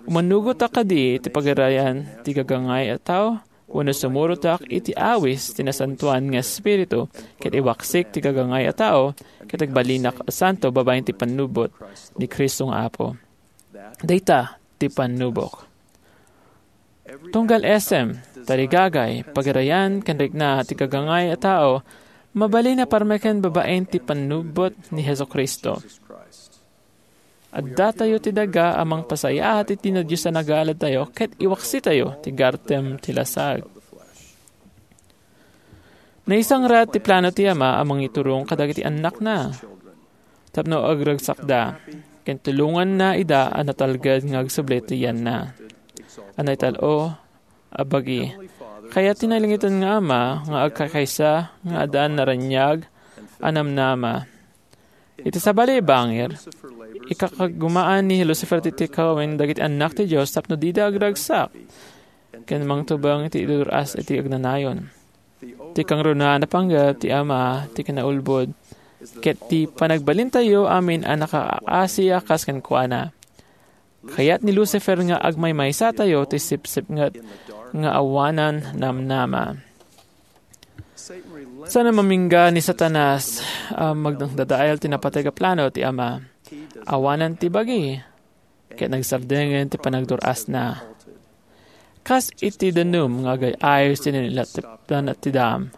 Umanugotak kadi ti pagarayan ti gagangay a tao, wenno sumurotak iti awis ti Nasantoan nga Espiritu, ket iwaksik ti gagangay a tao, ket agbalinak a santo babaen ti pannubot ni Cristo nga Apo. Dayta ti pannubok. Tunggal esem, tarigagay, pagarayan, ken rikna ti gagangay a tao, mabalin a parmeken babaen ti pannubot ni Jesu-Cristo. Addatayo ti daga a mangpasayaat iti nadiosan a galadtayo ket iwaksitayo ti gartem ti lasag. Naisangrat ti plano ti Ama a mangiturong kadagiti annakna tapno agragsakda, ken tulonganna ida a natalged nga agsubli ti yanna a naital-o a bagi. Kayat ti nailangitan nga Ama nga agkakaysa nga addaan naraniag a namnama. Iti sabali a bangir, ikakagumaan ni Lucifer ti tikawen dagiti annak ti Dios tapno dida agragsak ken mangtubeng iti idur-as iti agnanayon. Ti kangrunaan a panggep ti Ama ti kinaulbod, ket ti panagbalintayo amin a nakaasi a kas kenkuana. Kayat ni Lucifer nga agmaymaysatayo ti sipsipnget nga awanan namnama. Saan a mamingga ni Satanas a magdadael ti napateg a plano ti Ama. Awanan ti bagi, ket nagsardengen ti panagdur-asna. Kas iti danum nga agay-ayos ti nailatipdan ti dam,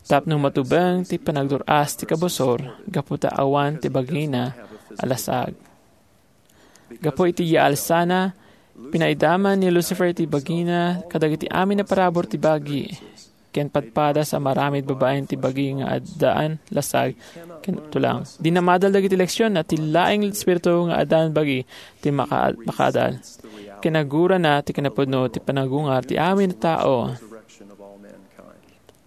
tapno matubeng ti panagdur-as ti kabusor gapu ta awan ti bagina a lasag. Gapu iti yaalsana, pinaidaman ni Lucifer ti bagina kadagiti amin a parabur ti bagi, ken padpadas a maramid babaen ti bagi nga addaan lasag ken tulang. Dinna maadal dagiti leksion a ti laeng espiritu nga addaan bagi ti maka-, makaadal. Kinagurana ti kinapudno ti panagungar ti amin a tao.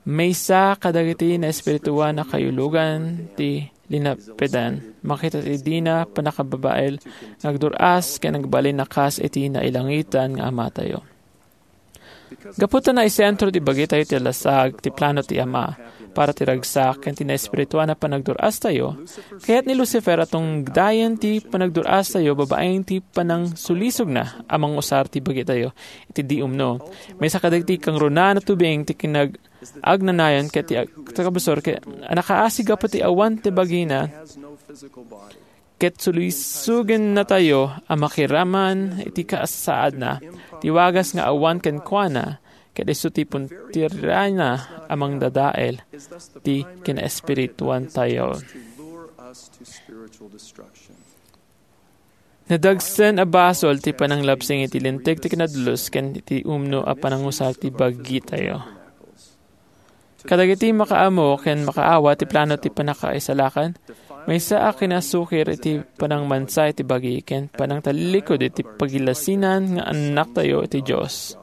Maysa kadagiti naespirituan a kayulugan ti linapedan. Makita ti dina pannakababain nga agdur-as ken agbalin a kas iti nailangitan nga Amatayo. Gapu ta naisentro ti bagitayo ti lasag ti plano ti Ama para ti ragsak ken ti naespirituan a panagdur-astayo, kayat ni Lucifer a tungdayen ti panagdur-astayo babaen ti panangsulisogna a mangusar ti bagitayo iti di umno. Maysa kadagiti kangrunaan a tubing ti kinag-, agnanayon ket ti ag-, ti kabusor ket a nakaasi gapu ti awan ti bagina, ket sulisogennatayo a makiraman iti kasasaadna, ti wagas nga awan kenkuana, ket isu ti puntirayna a mangdadael ti kinaespirituantayo. Nadagsen a basol ti pananglabsing iti linteg ti kinadlus ken iti umno a panangusar ti bagitayo. Kadagiti makaammo ken makaawat ti plano ti pannakaisalakan, maysa a kinasukir iti panangmansa iti bagi ken panangtalilikud iti pagilasinan nga annaktayo iti Dios.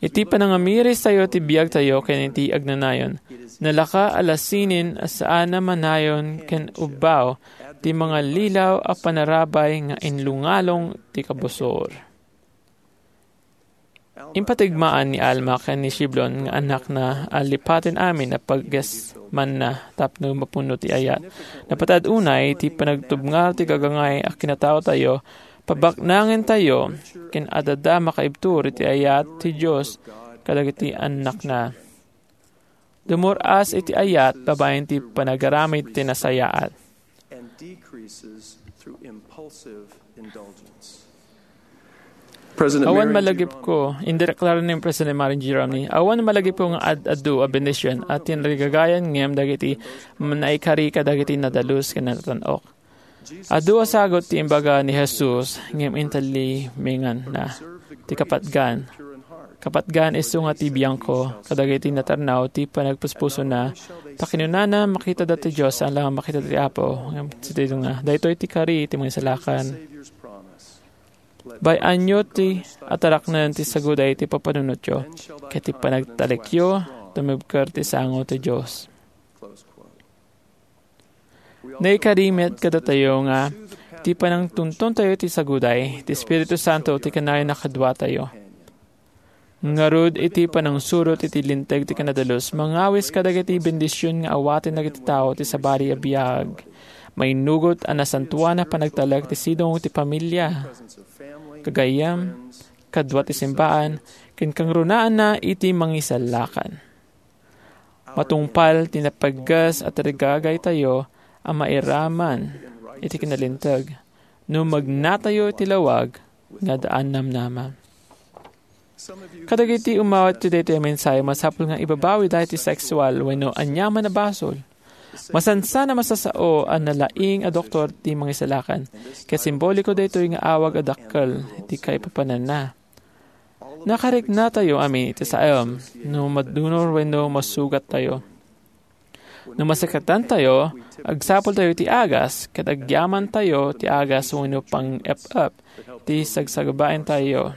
Iti panangamiristayo ti biagtayo ken iti agnanayon, nalaka a lasinen a saan a manayon ken ubbaw ti mangalilaw a panarabay nga inlungalong ti kabusor. Impatigmaan ni Alma ken ni Shiblon nga annakna a lipaten amin a paggesmanna tapno mapuno ti ayat. Napatad unay ti panagtubngar ti gagangay a kinataotayo, pabaknangentayo, ken adda makaibtur iti ayat ti Dios kadagiti annakna. Dumur-as iti ayat babaen ti panagaramid ti nasayaat. And decreases through impulsive indulgence. President Awan Marion G. malagipko, indireklar ni President Marion G. Romney, awan malagipko nga ad-adu a bendision a tinrigagayan ngem dagiti naikari kadagiti nadalus ken natan-ok. Adu a sagut ti imbaga ni Jesus, ngem intalimenganna ti kapatgan. Kapatgan isu nga ti biangko, kadagiti natarnaw ti panagpuspusona, ta kinunana, "Makitada ti Dios, saan laeng makitada ti Apo." Ngem daytoy ti kari ti Mangisalakan. Bay-anyo ti ataraknen ti saguday ti papanunotyo, ket ti panagtalekyo, tumibker ti sango ti Dios. Naikari met kadatayo nga ti panangtuntontayo ti saguday, ti Espiritu Santo ti kanayon a kaduatayo. Ngarud, iti panangsurot iti Linteg ti Kinadalus, mangawis kadagiti bendision nga awaten dagiti tao ti sabali a biag. Mainnugot a nasantoan a panagtalek ti sidong ti pamilia, gagayyem, kadua ti simbaan, ken kangrunaanna iti Mangisalakan. Matungpal ti napaggas a tarigagaytayo a mairaman iti kinalinteg no magnatayo iti lawag nga daan namnama. Kadagiti umawat ti daytoy a mensahe, masapul nga ibabawi daytoy sexual wenno aniaman a basol. Masansan a masasao a nalaing a doktor ti Mangisalakan, ket simboliko daytoy nga awag a dakkel ti kaipapananna. Nakariknatayo amin iti saem no madunor wenno masugattayo. No masakitantayo, agsapultayo iti agas, ket agyamantayo ti agas wenno pang-ep-ep ti sagsagbaentayo.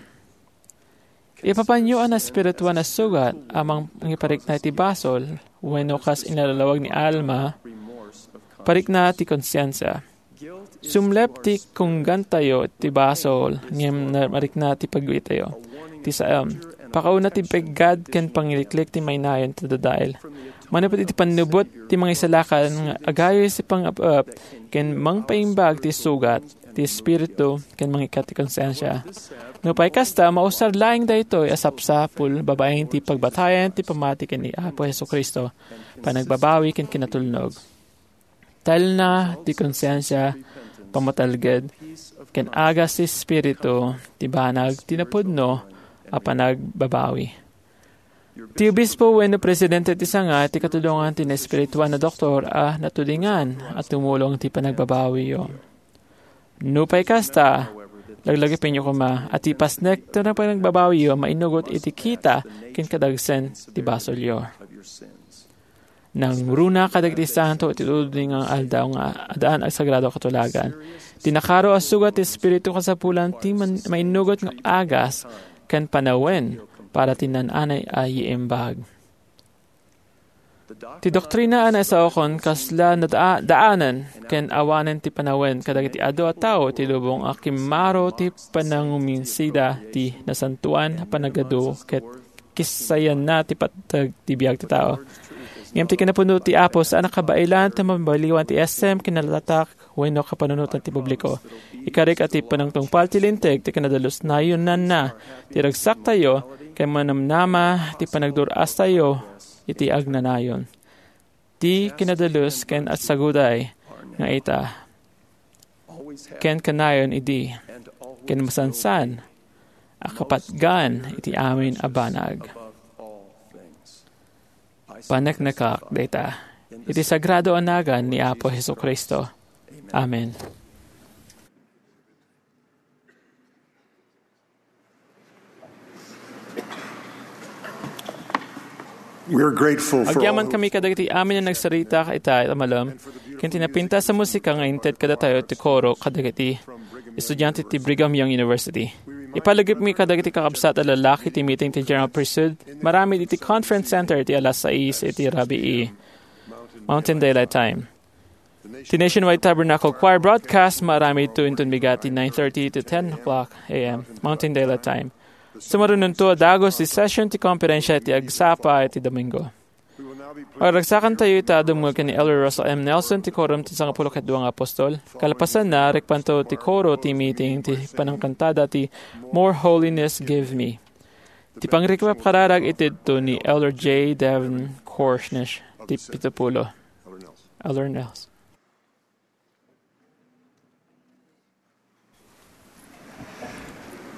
Ipapanyo a naespirituan a sugat a mangiparikna iti basol wenno kas inalawag ni Alma, parikna ti konsiensia. Sumlep ti kunggantayo ti basol, ngem na-, marikna ti pagbiitayo. Ti saem, pakauna ti peggad ken pangiliklik ti mainayon ti dadael. Manipud iti pannubot ti Mangisalakan nga agayo iti pang-ep-ep ken mangpaimbag ti sugat, ti espiritu, ken mangikkat ti konsiensia. Nupay kasta, mausar laeng daytoy a sapsapul babaen ti pagbatayan ti pamati ken ni Apo Jesu-Cristo, panagbabawi ken kinatulnog. Talna ti konsiensia, pammatalged, ken agas ti espiritu ti banag ti napudno a panagbabawi. Ti obispo wenno presidente ti sanga ti katulongan ti naespirituan a doktor a natulingan a tumulong ti panagbabawiyo. Nupay kasta, laglagipenyo koma a ti pasnek ti panagbabawiyo mainugot iti kita ken kadagsen ti basolyo. Nangruna kadagiti santo iti tuding nga aldaw nga addaan a sagrado a katulagan. Ti nakaro a sugat ti Espiritu kasapulan ti man-, mainnugot nga agas ken panawen para ti naan-anay a iimbag. Ti doktrina a naisaokon kasla nadaa-, daanen ken awanen ti panawen kadagiti adu a tao ti lubong a kimmaro ti pananguminsida ti nasantoan a panagadu ket kissayanna ti pateg ti biag ti tao. Ngem ti kinapuno ti Apo saan a kabaelan ti mabaliwan ti S M, kinalatak, wenno kapanunotan ti publiko. Ikarik a ti panangtungpal ti Linteg ti Kinadalus nayonanna ti ragsaktayo ken manamnama ti panagdur-astayo iti agnanayon. Ti Kinadalus ken agsaguday nga ita ken kanayon idi ken masansan a kapatgan iti amin a banag. Paneknekak dayta iti sagrado a nagan ni Apo Jesu-Cristo. Amen. We are grateful for Agyaman all kami kadagiti amin a nagsarita ita a malem ken ti napintas a musika nga inted kadatayo ti koro kadagiti estudiante ti Brigham Young University. Ipalagipmi kadagiti kakabsat a lalaki ti meeting ti General Priesthood, maramid iti Conference Center iti alas sais iti rabii, Mountain Daylight Time. Ti Nationwide Tabernacle Choir broadcast, maramid to inton bigat ti nine thirty to ten o'clock a m, Mountain Daylight Time. Sumarunonto a dagus ti session ti konferensia iti agsapa iti Domingo. Aragsakan tayo ita a dumngeg ken ni Elder Russell M. Nelson ti Quorum ti Sangapulo ket Dua nga Apostol. Kalpasanna, rikpanto ti koro ti meeting ti panangkantada ti More Holiness Give Me. Ti pangrikipkararag iti dto ni Elder J. Devin Korsnish ti pitupulo. Elder Nelson.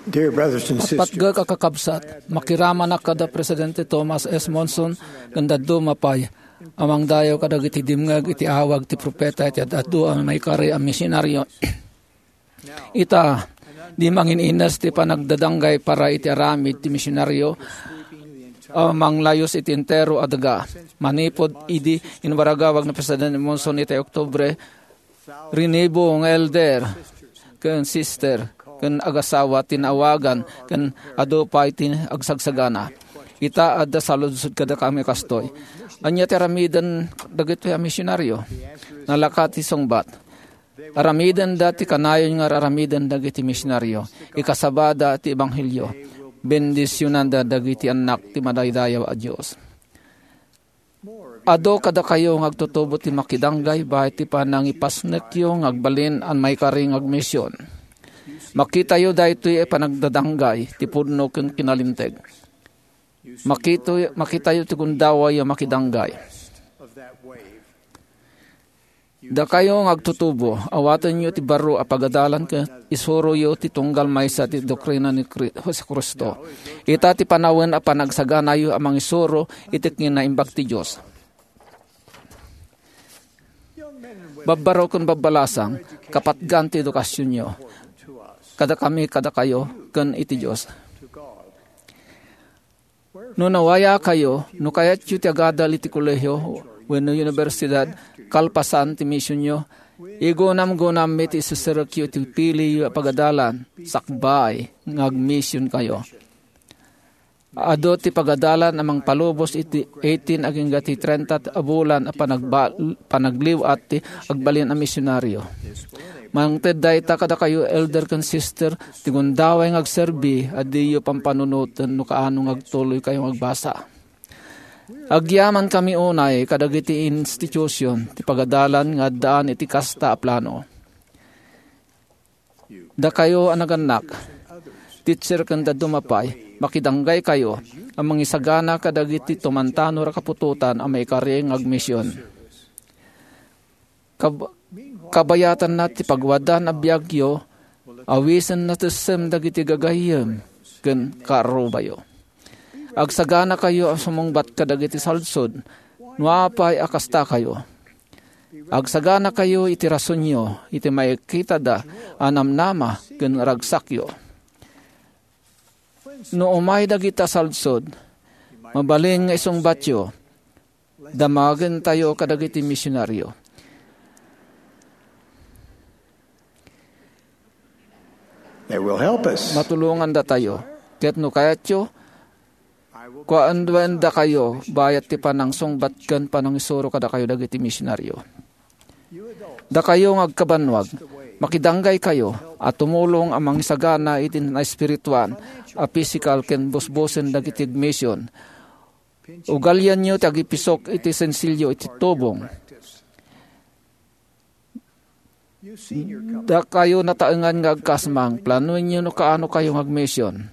Dear brothers and sisters, Patgek a kakabsat, makiramanak kada Presidente Thomas S. Monson ken dadduma pay a mangdayaw kadagiti dimngeg iti awag ti propeta iti ad-adu a maikari a misionaryo. Ita, di mangin-ines ti panagdadanggay para iti aramid ti misionaryo a manglayus iti entero a daga. Manipud idi inwaragawag ni Presidente Monson iti Oktubre, rinibu nga elder ken sister ken agasawa ti naawagan ken adu pay ti agsagsagana. Ita, adda saludsod kadakami kastoy: Ania ti aramiden dagitoy a misionaryo? Nalaka ti sungbat: Aramidenda ti kanayon nga ar-aramiden dagiti misionaryo. Ikasabada ti ebanghelio. Bendisionanda dagiti annak ti madaydayaw a Dios. Adu kadakayo nga agtutubo ti makidanggay baket ti panangipasnekyo nga agbalin a maikari nga agmision. Makitayo daytoy a panagdadanggay ti pudno ken kinalinteg. Makito-, makitayo ti gundaway a makidanggay. Dakayo nga agtutubo, awatenyo ti baro a pagadalan ket isuroyo ti tunggal maysa ti doktrina ni Cri-, Jesu-Cristo. Ita ti panawen a panagsaganayo a mangisuro iti kinaimbag ti Dios. Babbaro ken babbalasang, kapatgan ti edukasionyo kadakami, kadakayo, ken iti Dios. No nawayakayo, no kayatyo ti agadal iti kolehio wenno universidad kalpasan ti misionyo, igunamgunammi ti iserserekyo iti piliyo a pagadalan sakbay nga agmisionkayo. Adu ti pagadalan a mangpalubos iti eighteen agingga ti trenta a bulan a panagba-, panagliw-at ti agbalin a misionaryo. Mangted dayta kadakayo, elder ken sister, ti gundaway nga agserbi a diyo pampanunoten no kaano nga agtuloykayo nga agbasa. Agyamankami unay kadagiti institusion ti pagadalan nga addaan iti kasta a plano. Dakayo a nagannak, teacher ken dadduma pay, makidanggaykayo a mangisagana kadagiti tumantanor a kaputotan a maikari nga agmision. Kab-, kabayatanna ti pagwadan a biagyo, awisen natessem dagiti gagayyem ken kaarrubayo. Agsaganakayo a sumungbat kadagiti salsod, no apay a kastakayo. Agsaganakayo iti rasonyo iti maikitada a namnama ken ragsakyo. No umay dagita salsod, mabalin nga isungbatyo, damagentayo kadagiti misionaryo. They will help us. Matulongandatayo. Ket no kayatyo, kuaendakayo bayat ti panangsungbat ken panangisuro kadakayo dagiti misionaryo. Dakayo nga agkabannuag, makidanggaykayo a tumulong a mangisagana iti naespirituan a pisikal ken busbusen dagiti agmision. Ugalianyo ti agipisok iti sensilyo iti tubong. Dakayo nataengan nga agkasmang, planoenyo no kaano kayo nga agmision.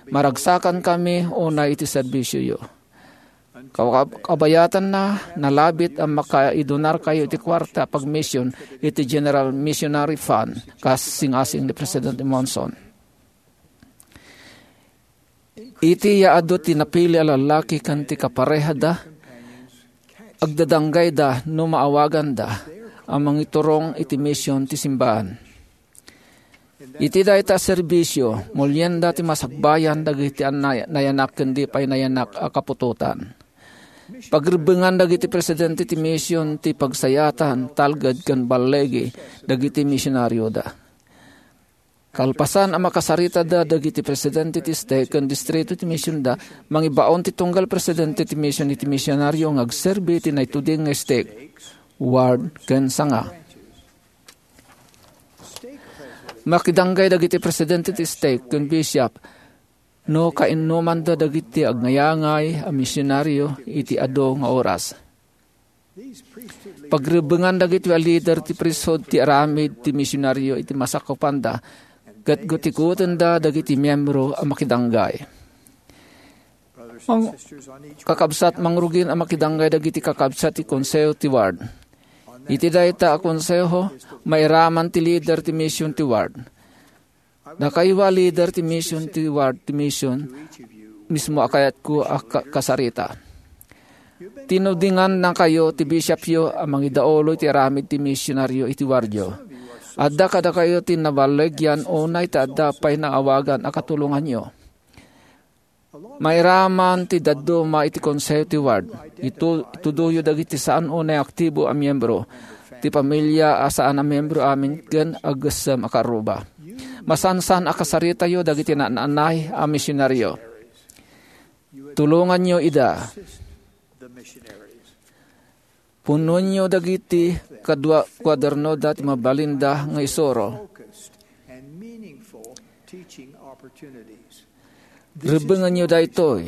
Maragsakankami unay iti serbisioyo. Kaw-, kabayatanna, nalabit a makaidonarkayo iti kuarta a pagmision iti General Missionary Fund, kas singasing ni Presidente Monson. Iti yaadu ti napili a lallaki ken ti kaparehada, agdadanggayda no maawaganda a mangiturong iti mision ti simbaan. Iti dayta a serbisio, mulienda ti masakbayan dagiti annay-, nayanak ken di pay nayanak a kaputotan. Pagrebbengan dagiti presidente ti mision ti pagsayatan, talged, ken balligi dagiti misionarioda. Kalpasan a makasaritada dagiti presidente ti stake ken distrito ti misionda, mangibaon ti tunggal presidente ti mision iti misionario nga agserbi iti naituding nga stake, ward, ken sanga. Makidanggay dagiti presidente ti stake ken bishop no kainnomanda dagiti agnayangay a misionario iti adu nga oras. Pagrebbengan dagiti a leader ti priesthood ti aramid ti misionario iti masakupanda, ket gutikutenda dagiti miembro a makidanggay. Mang-, kakabsat, mangrugin a makidanggay dagiti kakabsat ti konseho ti ward. Iti dayta a konseho, mairaman ti leader ti mision ti ward. Dakayo a leader ti mision ti ward ti mision, mismo a kayatko a ka-, kasarita. Tinudingannakayo ti bishopyo a mangidaulo iti aramid ti misionario iti wardyo. Adda kadakayo ti naballigyan unay ta adda pay naawagan a katulonganyo. Mairaman ti dadduma iti konseho ti ward. Itu-, itudoyo dagiti saan unay aktibo a miembro ti pamilia a saan a miembro amin ken aggessem a kaarruba. Masansan a kasaritayo dagiti naan-anay a misionario. Tulonganyo ida. Punoenyo dagiti kadua kuadernoda ti mabalinda nga isuro. Rebbengenyo daytoy.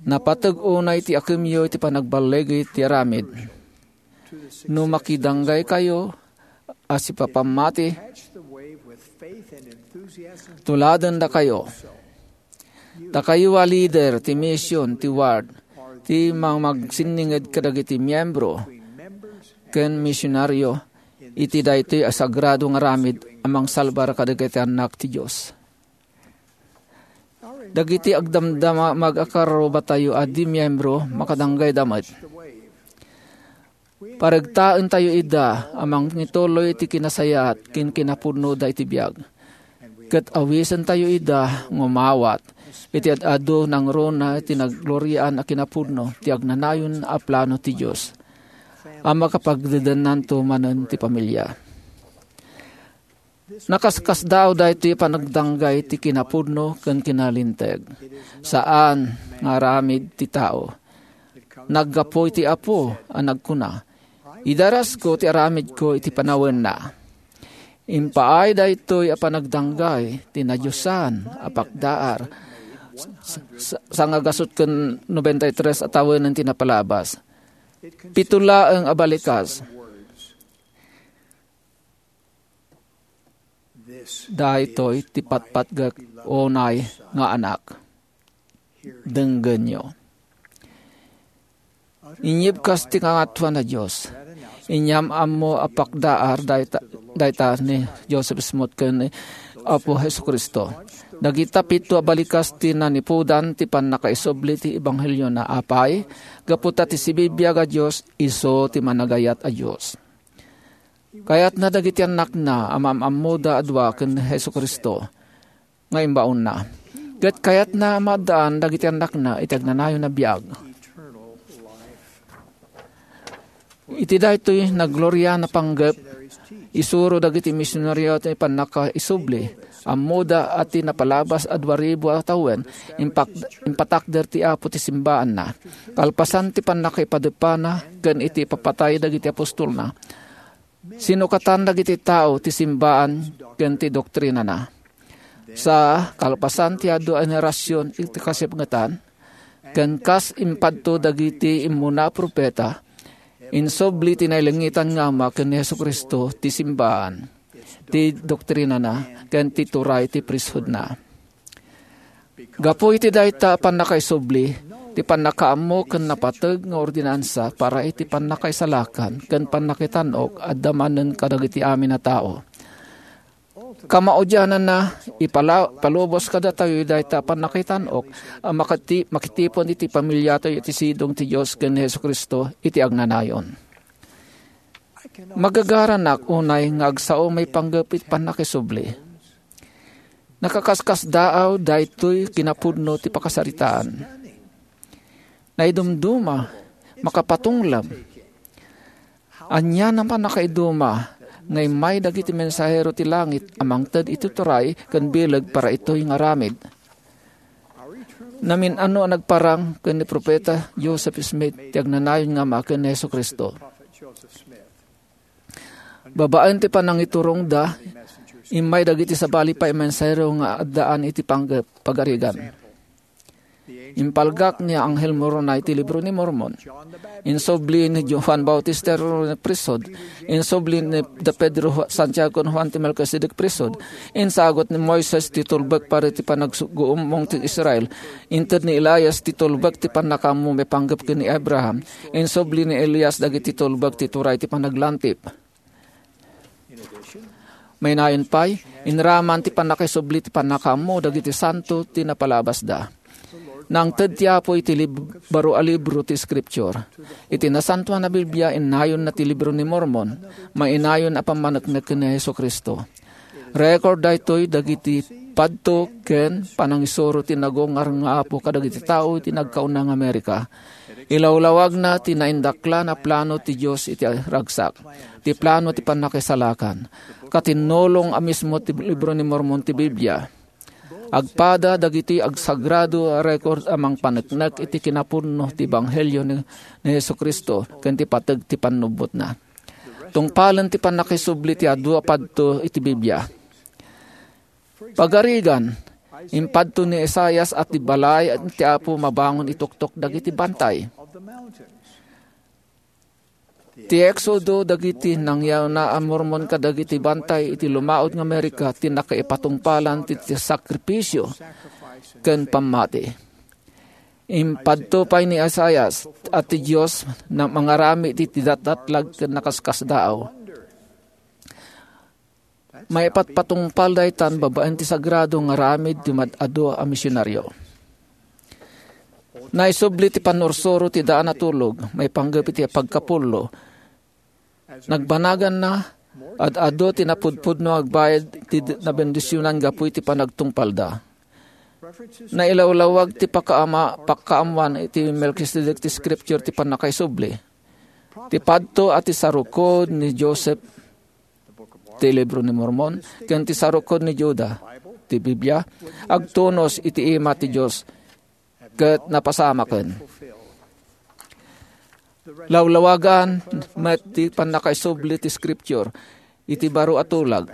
Napateg unay ti akemyo iti panagballigi ti aramid. No makidanggaykayo a sipapammati, tuladendakayo. Dakayo a leader ti mision ti ward ti mangmagsinninged kadagiti miembro ken misionario iti daytoy a sagrado nga aramid a mangsalbar kadagiti annak ti Dios. Dagiti agdamdama mag-akarrubatayo a di miembro, makadanggayda met. Paregtaentayo ida a mangituloy iti kinasayaat ken kinapudnoda iti biag. Ket awisentayo ida nga umawat iti ad-adu nangruna ti naggloriaan a kinapudno ti agnanayon a plano ti Dios a makapagdedennanto manen ti pamilia. Nakaskasdaaw daytoy panagdanggay ti kinapudno ken kinalinteg. Saan nga aramid ti tao. Naggapu iti Apo a nagkuna, "Idarasko ti aramidko iti panawenna." Impaay daytoy a panagdanggay ti nadiosan a pakdaar s-, s-, sangagasut ken nobenta y tres a tawenen ti napalabas. Pito laeng a balikas. Daytoy ti patpatgek unay nga anak. Denggenyo. Inyib kas ti Kangatoan a Dios. Inyam-ammo a pakdaar dayta, dayta ni Joseph Smith ken ni Apo Jesu-Cristo. Dagita pito a balikas ti nanipudan ti pannakaisubli ti ebanghelio na apay, gapu ta ti sibibiag a Dios isu ti managayat a Dios. Kayatna dagiti annakna a maam-ammoda a dua ken ni Jesu-Cristo nga imbaonna. Ket kayatna a maaddaan dagiti annakna iti agnanayon a biag. Iti daytoy naggloriana a panggep, isuro dagiti misionaryo ti pannakaisubli. Ammoda a ti napalabas a dua ribu a tawen, impak-, impatakder ti Apo ti simbaanna. Kalpasan ti pannakaipadeppana ken iti ipapatay dagiti apostolna, sinukatan dagiti tao ti simbaan ken ti doktrinana. Sa kalpasan ti adu a henerasion iti kasipngetan, ken kas impadto dagiti immuna a profeta, insubli ti nailengetan nga Ama ken ni Jesu-Cristo ti simbaan, ti doktrinana, ken ti turay ti priesthoodna. Gapu iti dayta a pannakaisubli, ti pannakaammo ken napateg nga ordinansa para iti pannakaisalakan ken pannakitan-ok adda manen kadagiti amin a tao. Kamaudiananna, ipala-, ipalubos kadatayo dayta a pannakakitan-ok a makati-, makitipon iti pamiliatayo iti sidong ti Dios ken ni Jesu-Cristo iti agnanayon. Magagaranak unay nga agsao may panggep iti pannakaisubli. Nakakaskasdaaw daytoy kinapudno ti pakasaritaan. Naidumduma, makapatunglam. Ania a pannakaiduma nga immay dagiti mensahero ti langit a mangted iti turay ken bileg para itoy nga aramid. Namin-ano a nagparang ken ni Profeta Joseph Smith ti agnanayon nga Ama ken ni Jesu-Cristo. Babaen ti panangiturongda, immay dagiti sabali pay a mensahero nga addaan iti panggep pagarigan. Impalgak ni Angel Moroni ti Libro ni Mormon. Insubli ni Juan Bautista ti Pristut. Insubli ni da Pedro, Santiago, ken Juan ti Melkisedek Pristut. Insagut ni Moises ti tulbek para ti panagguummong ti Israel. Inted ni Elias ti tulbek ti pannakaammo maipanggep ken ni Abraham. Insubli ni Elias dagiti tulbek ti turay ti panaglantip. Mainayon pay, inraman ti pannakaisubli ti pannakaammo dagiti santo ti napalabasda. Nangted ti Apo iti lib-, baro a libro ti Scripture. Iti Nasantoan a Biblia, innayonna ti Libro ni Mormon, mainayon a pammaneknek ken ni Jesu-Cristo. Record daytoy dagiti padto ken panangisuro ti nagungar nga Apo kadagiti tao iti nagkauna nga Amerika. Ilawlawagna ti naindaklan a plano ti Dios iti ragsak, ti plano ti pannakisalakan. Katinnulong a mismo ti Libro ni Mormon ti Biblia. Agpada dagiti agsagrado a record a mangpaneknek iti kinapudno ti Ebanghelio ni, ni Jesu-Cristo ken ti pateg ti pannubbotna. Tungpalen ti pannakaisubli ti adu a padto iti Biblia. Pagarigan, impadto ni Isaias a ti balay ti Apo mabangon ituktok dagiti bantay. Ti Exodo dagiti nangyawna a Mormon kadagiti bantay iti lumaud nga Amerika ti nakaipatungpalan ti, ti sakripisio ken pammati. Impadto pay ni Isaias a ti Dios na mangaramid iti datdatlag ken nakaskasdaaw. Maipatpatungpal daytan babaen ti sagrado nga aramid ti mad-adu a misionario. Naisubli ti pannursuro ti daan a tulog, maipanggep iti pagkapullo. Nagbanaganna, ad-adu ti napudpudno agbayad ti d-, nabendisionan gapu iti panagtungpalda. Nailawlawag ti pakaama-, pakaammoan iti Melkisedek ti Scripture ti pannakaisubli. Ti padto a ti sarukod ni Joseph ti Libro ni Mormon, ken ti sarukod ni Juda, ti Biblia, agtunos iti ima ti Dios, ket napasamaken. Lawlawagan met ti pannakaisubli ti Scripture iti baro a tulag.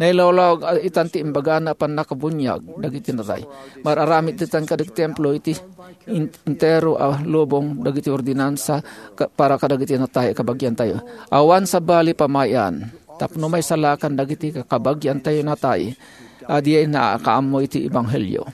Nailawlawag itan ti imbagana a pannakabuniag dagiti natay. Mar-aramid itan kadagiti templo iti in-, entero a lubong dagiti ordinansa ka-, para kadagiti natay a kabagiantayo. Awan sabali pamayan tapno maisalakan dagiti kakabagiantayo natay a diay nakaammo iti ebanghelio.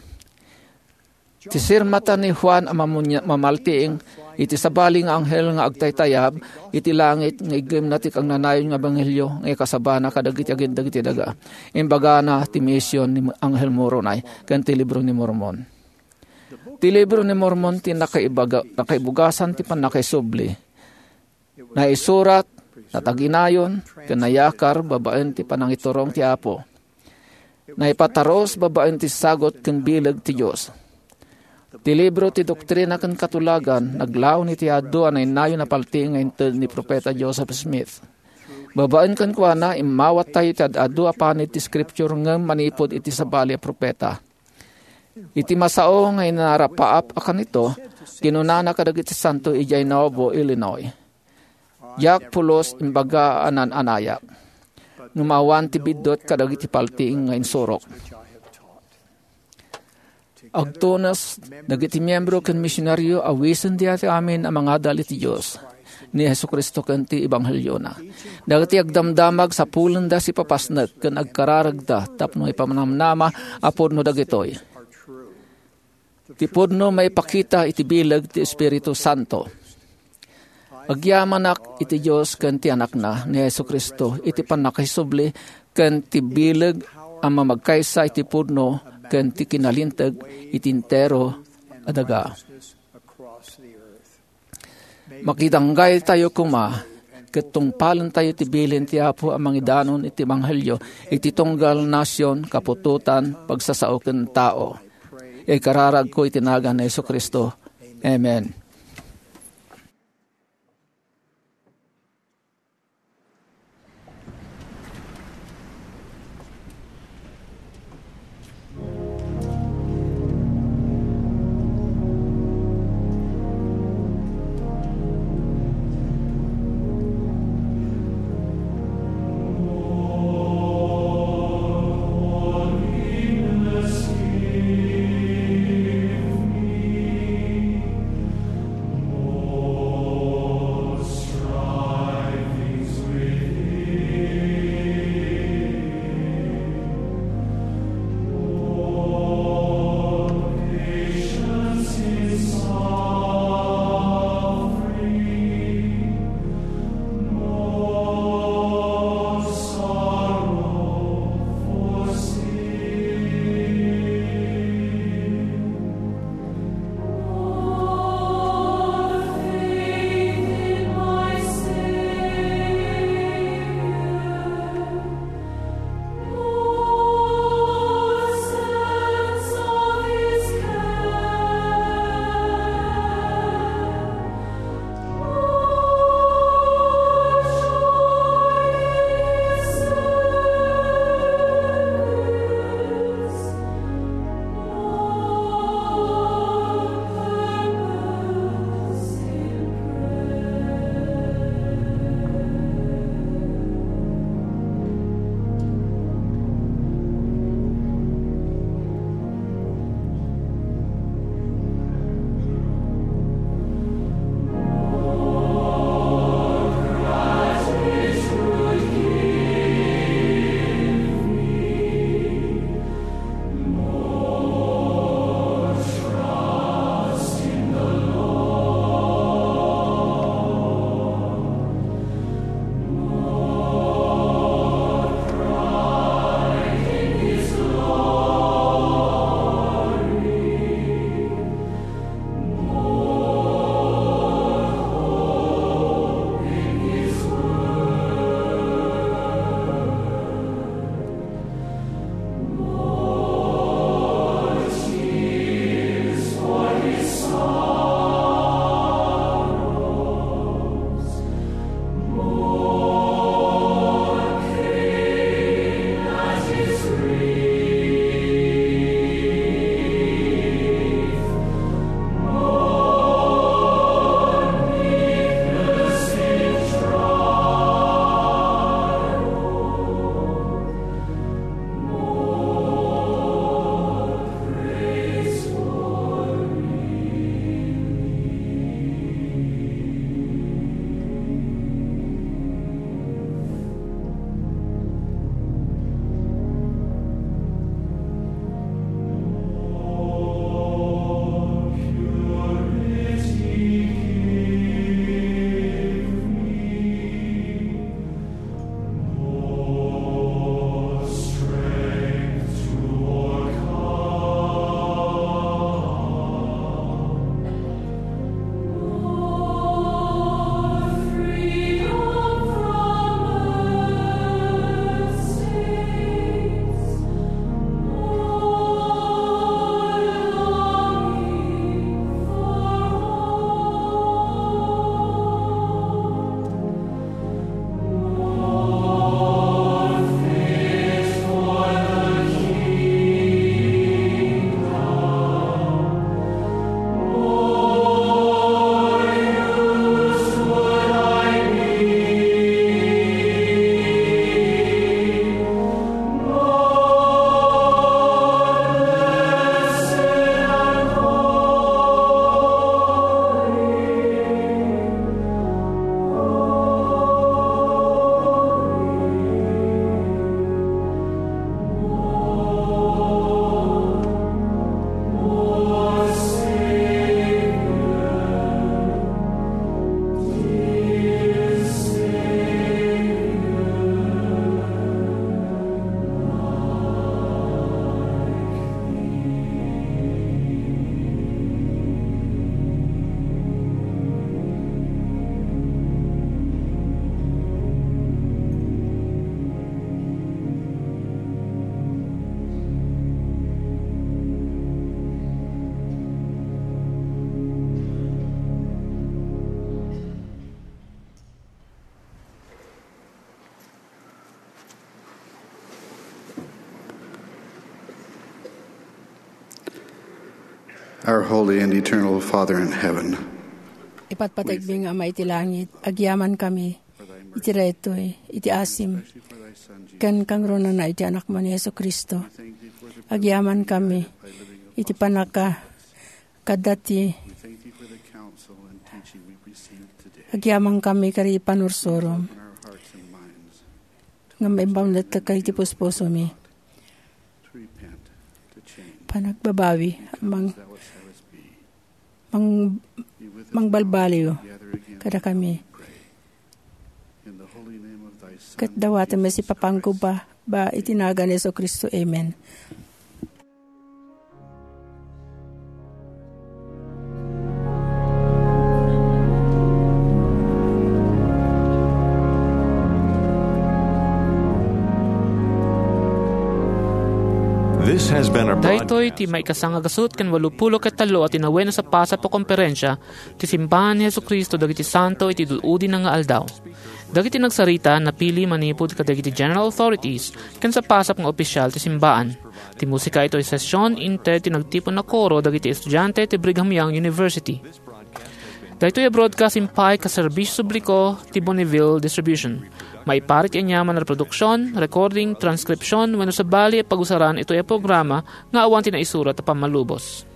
Ti sirmata ni Juan a mamunya-, mamaltiing iti sabali nga anghel nga agtaytayab iti langit nga iggemna ti kagnanayon nga ebanghelio nga ikasabana kadagiti agin dagiti daga. Imbagana ti mision ni Angel Moroni ken ti Libro ni Mormon. Ti Libro ni Mormon ti nakaibaga-, nakaibugasan ti pannakaisubli. Naisurat, nataginayon, ken nayakar babaen ti panangiturong ti Apo. Naipatarus babaen ti sagut ken bileg ti Dios. Ti libro ti Doktrina ken Katulagan naglaon iti adu a nainayon a paltiing nga inted ni Profeta Joseph Smith. Babaen kenkuana, immawattayo ti ad-adu a panit ti Scripture ngem manipud iti sabali a profeta. Iti masao nga inarapaap a kanito, kinunana kadagiti santo idiay Nauvoo, Illinois, "Diak pulos imbaga a nan-anayak, ngem awan ti biddut kadagiti paltiing nga insurok." Agtunos dagiti miembro ken misionario a wisen diay amin a mangadal iti Dios, ni Jesu-Cristo ken ti ebangheliona. Dagiti agdamdamag sapulenda sipapasnek ken agkararagda tapno ipamanamnama a pudno dagitoy. Ti pudno maipakita iti bileg ti Espiritu Santo. Agyamanak iti Dios ken ti Anakna, ni Jesu-Cristo, iti pannakaisubli ken ti bileg a mamagkaysa iti pudno ken ti kinalinteg iti entero a daga. Makidanggaytayo koma ket tungpalentayo ti bilin ti Apo a mangidanon iti ebanghelio iti tunggal, nasion, kaputotan, pagsasao ken tao. Ikararagko iti nagan ni Jesu-Cristo. Amen. Our holy and eternal Father in heaven, ipatpategmi nga Ama iti langit, agyamankami iti daytoy, iti asim, ken kangrunana iti Anakmo ni Jesu-Cristo. Agyamankami iti pannaka-, kadati, agyamankami kadi panursurom, nga maimbawnetka iti puspusomi. Panagbabawi, mang-, mang-, mangbalbaliw kadakami. Ket dawatem met iti papanggupna iti nagan ni Jesu-Cristo. Amen. This has been a broadcast. Daytoy ti maikasanga gasut ken walupulo ket tallo a tinawen a sapasap a konferensia ti Simbahan ni Jesu-Cristo dagiti Santo iti Dud-udina nga Aldaw. Dagiti nagsarita napili manipud kadagiti general authorities ken sapasap nga opisyal ti simbaan. Ti musika itoy session inted ti nagtipon a koro dagiti estudiante ti Brigham Young University. Daytoy a broadcast impay ket serbisio publiko ti Bonneville Distribution. Maiparit ti aniaman a reproduksion, recording, transcription, wenno sabali a pagusaran itoy a programa nga awan ti naisurat a pammalubos.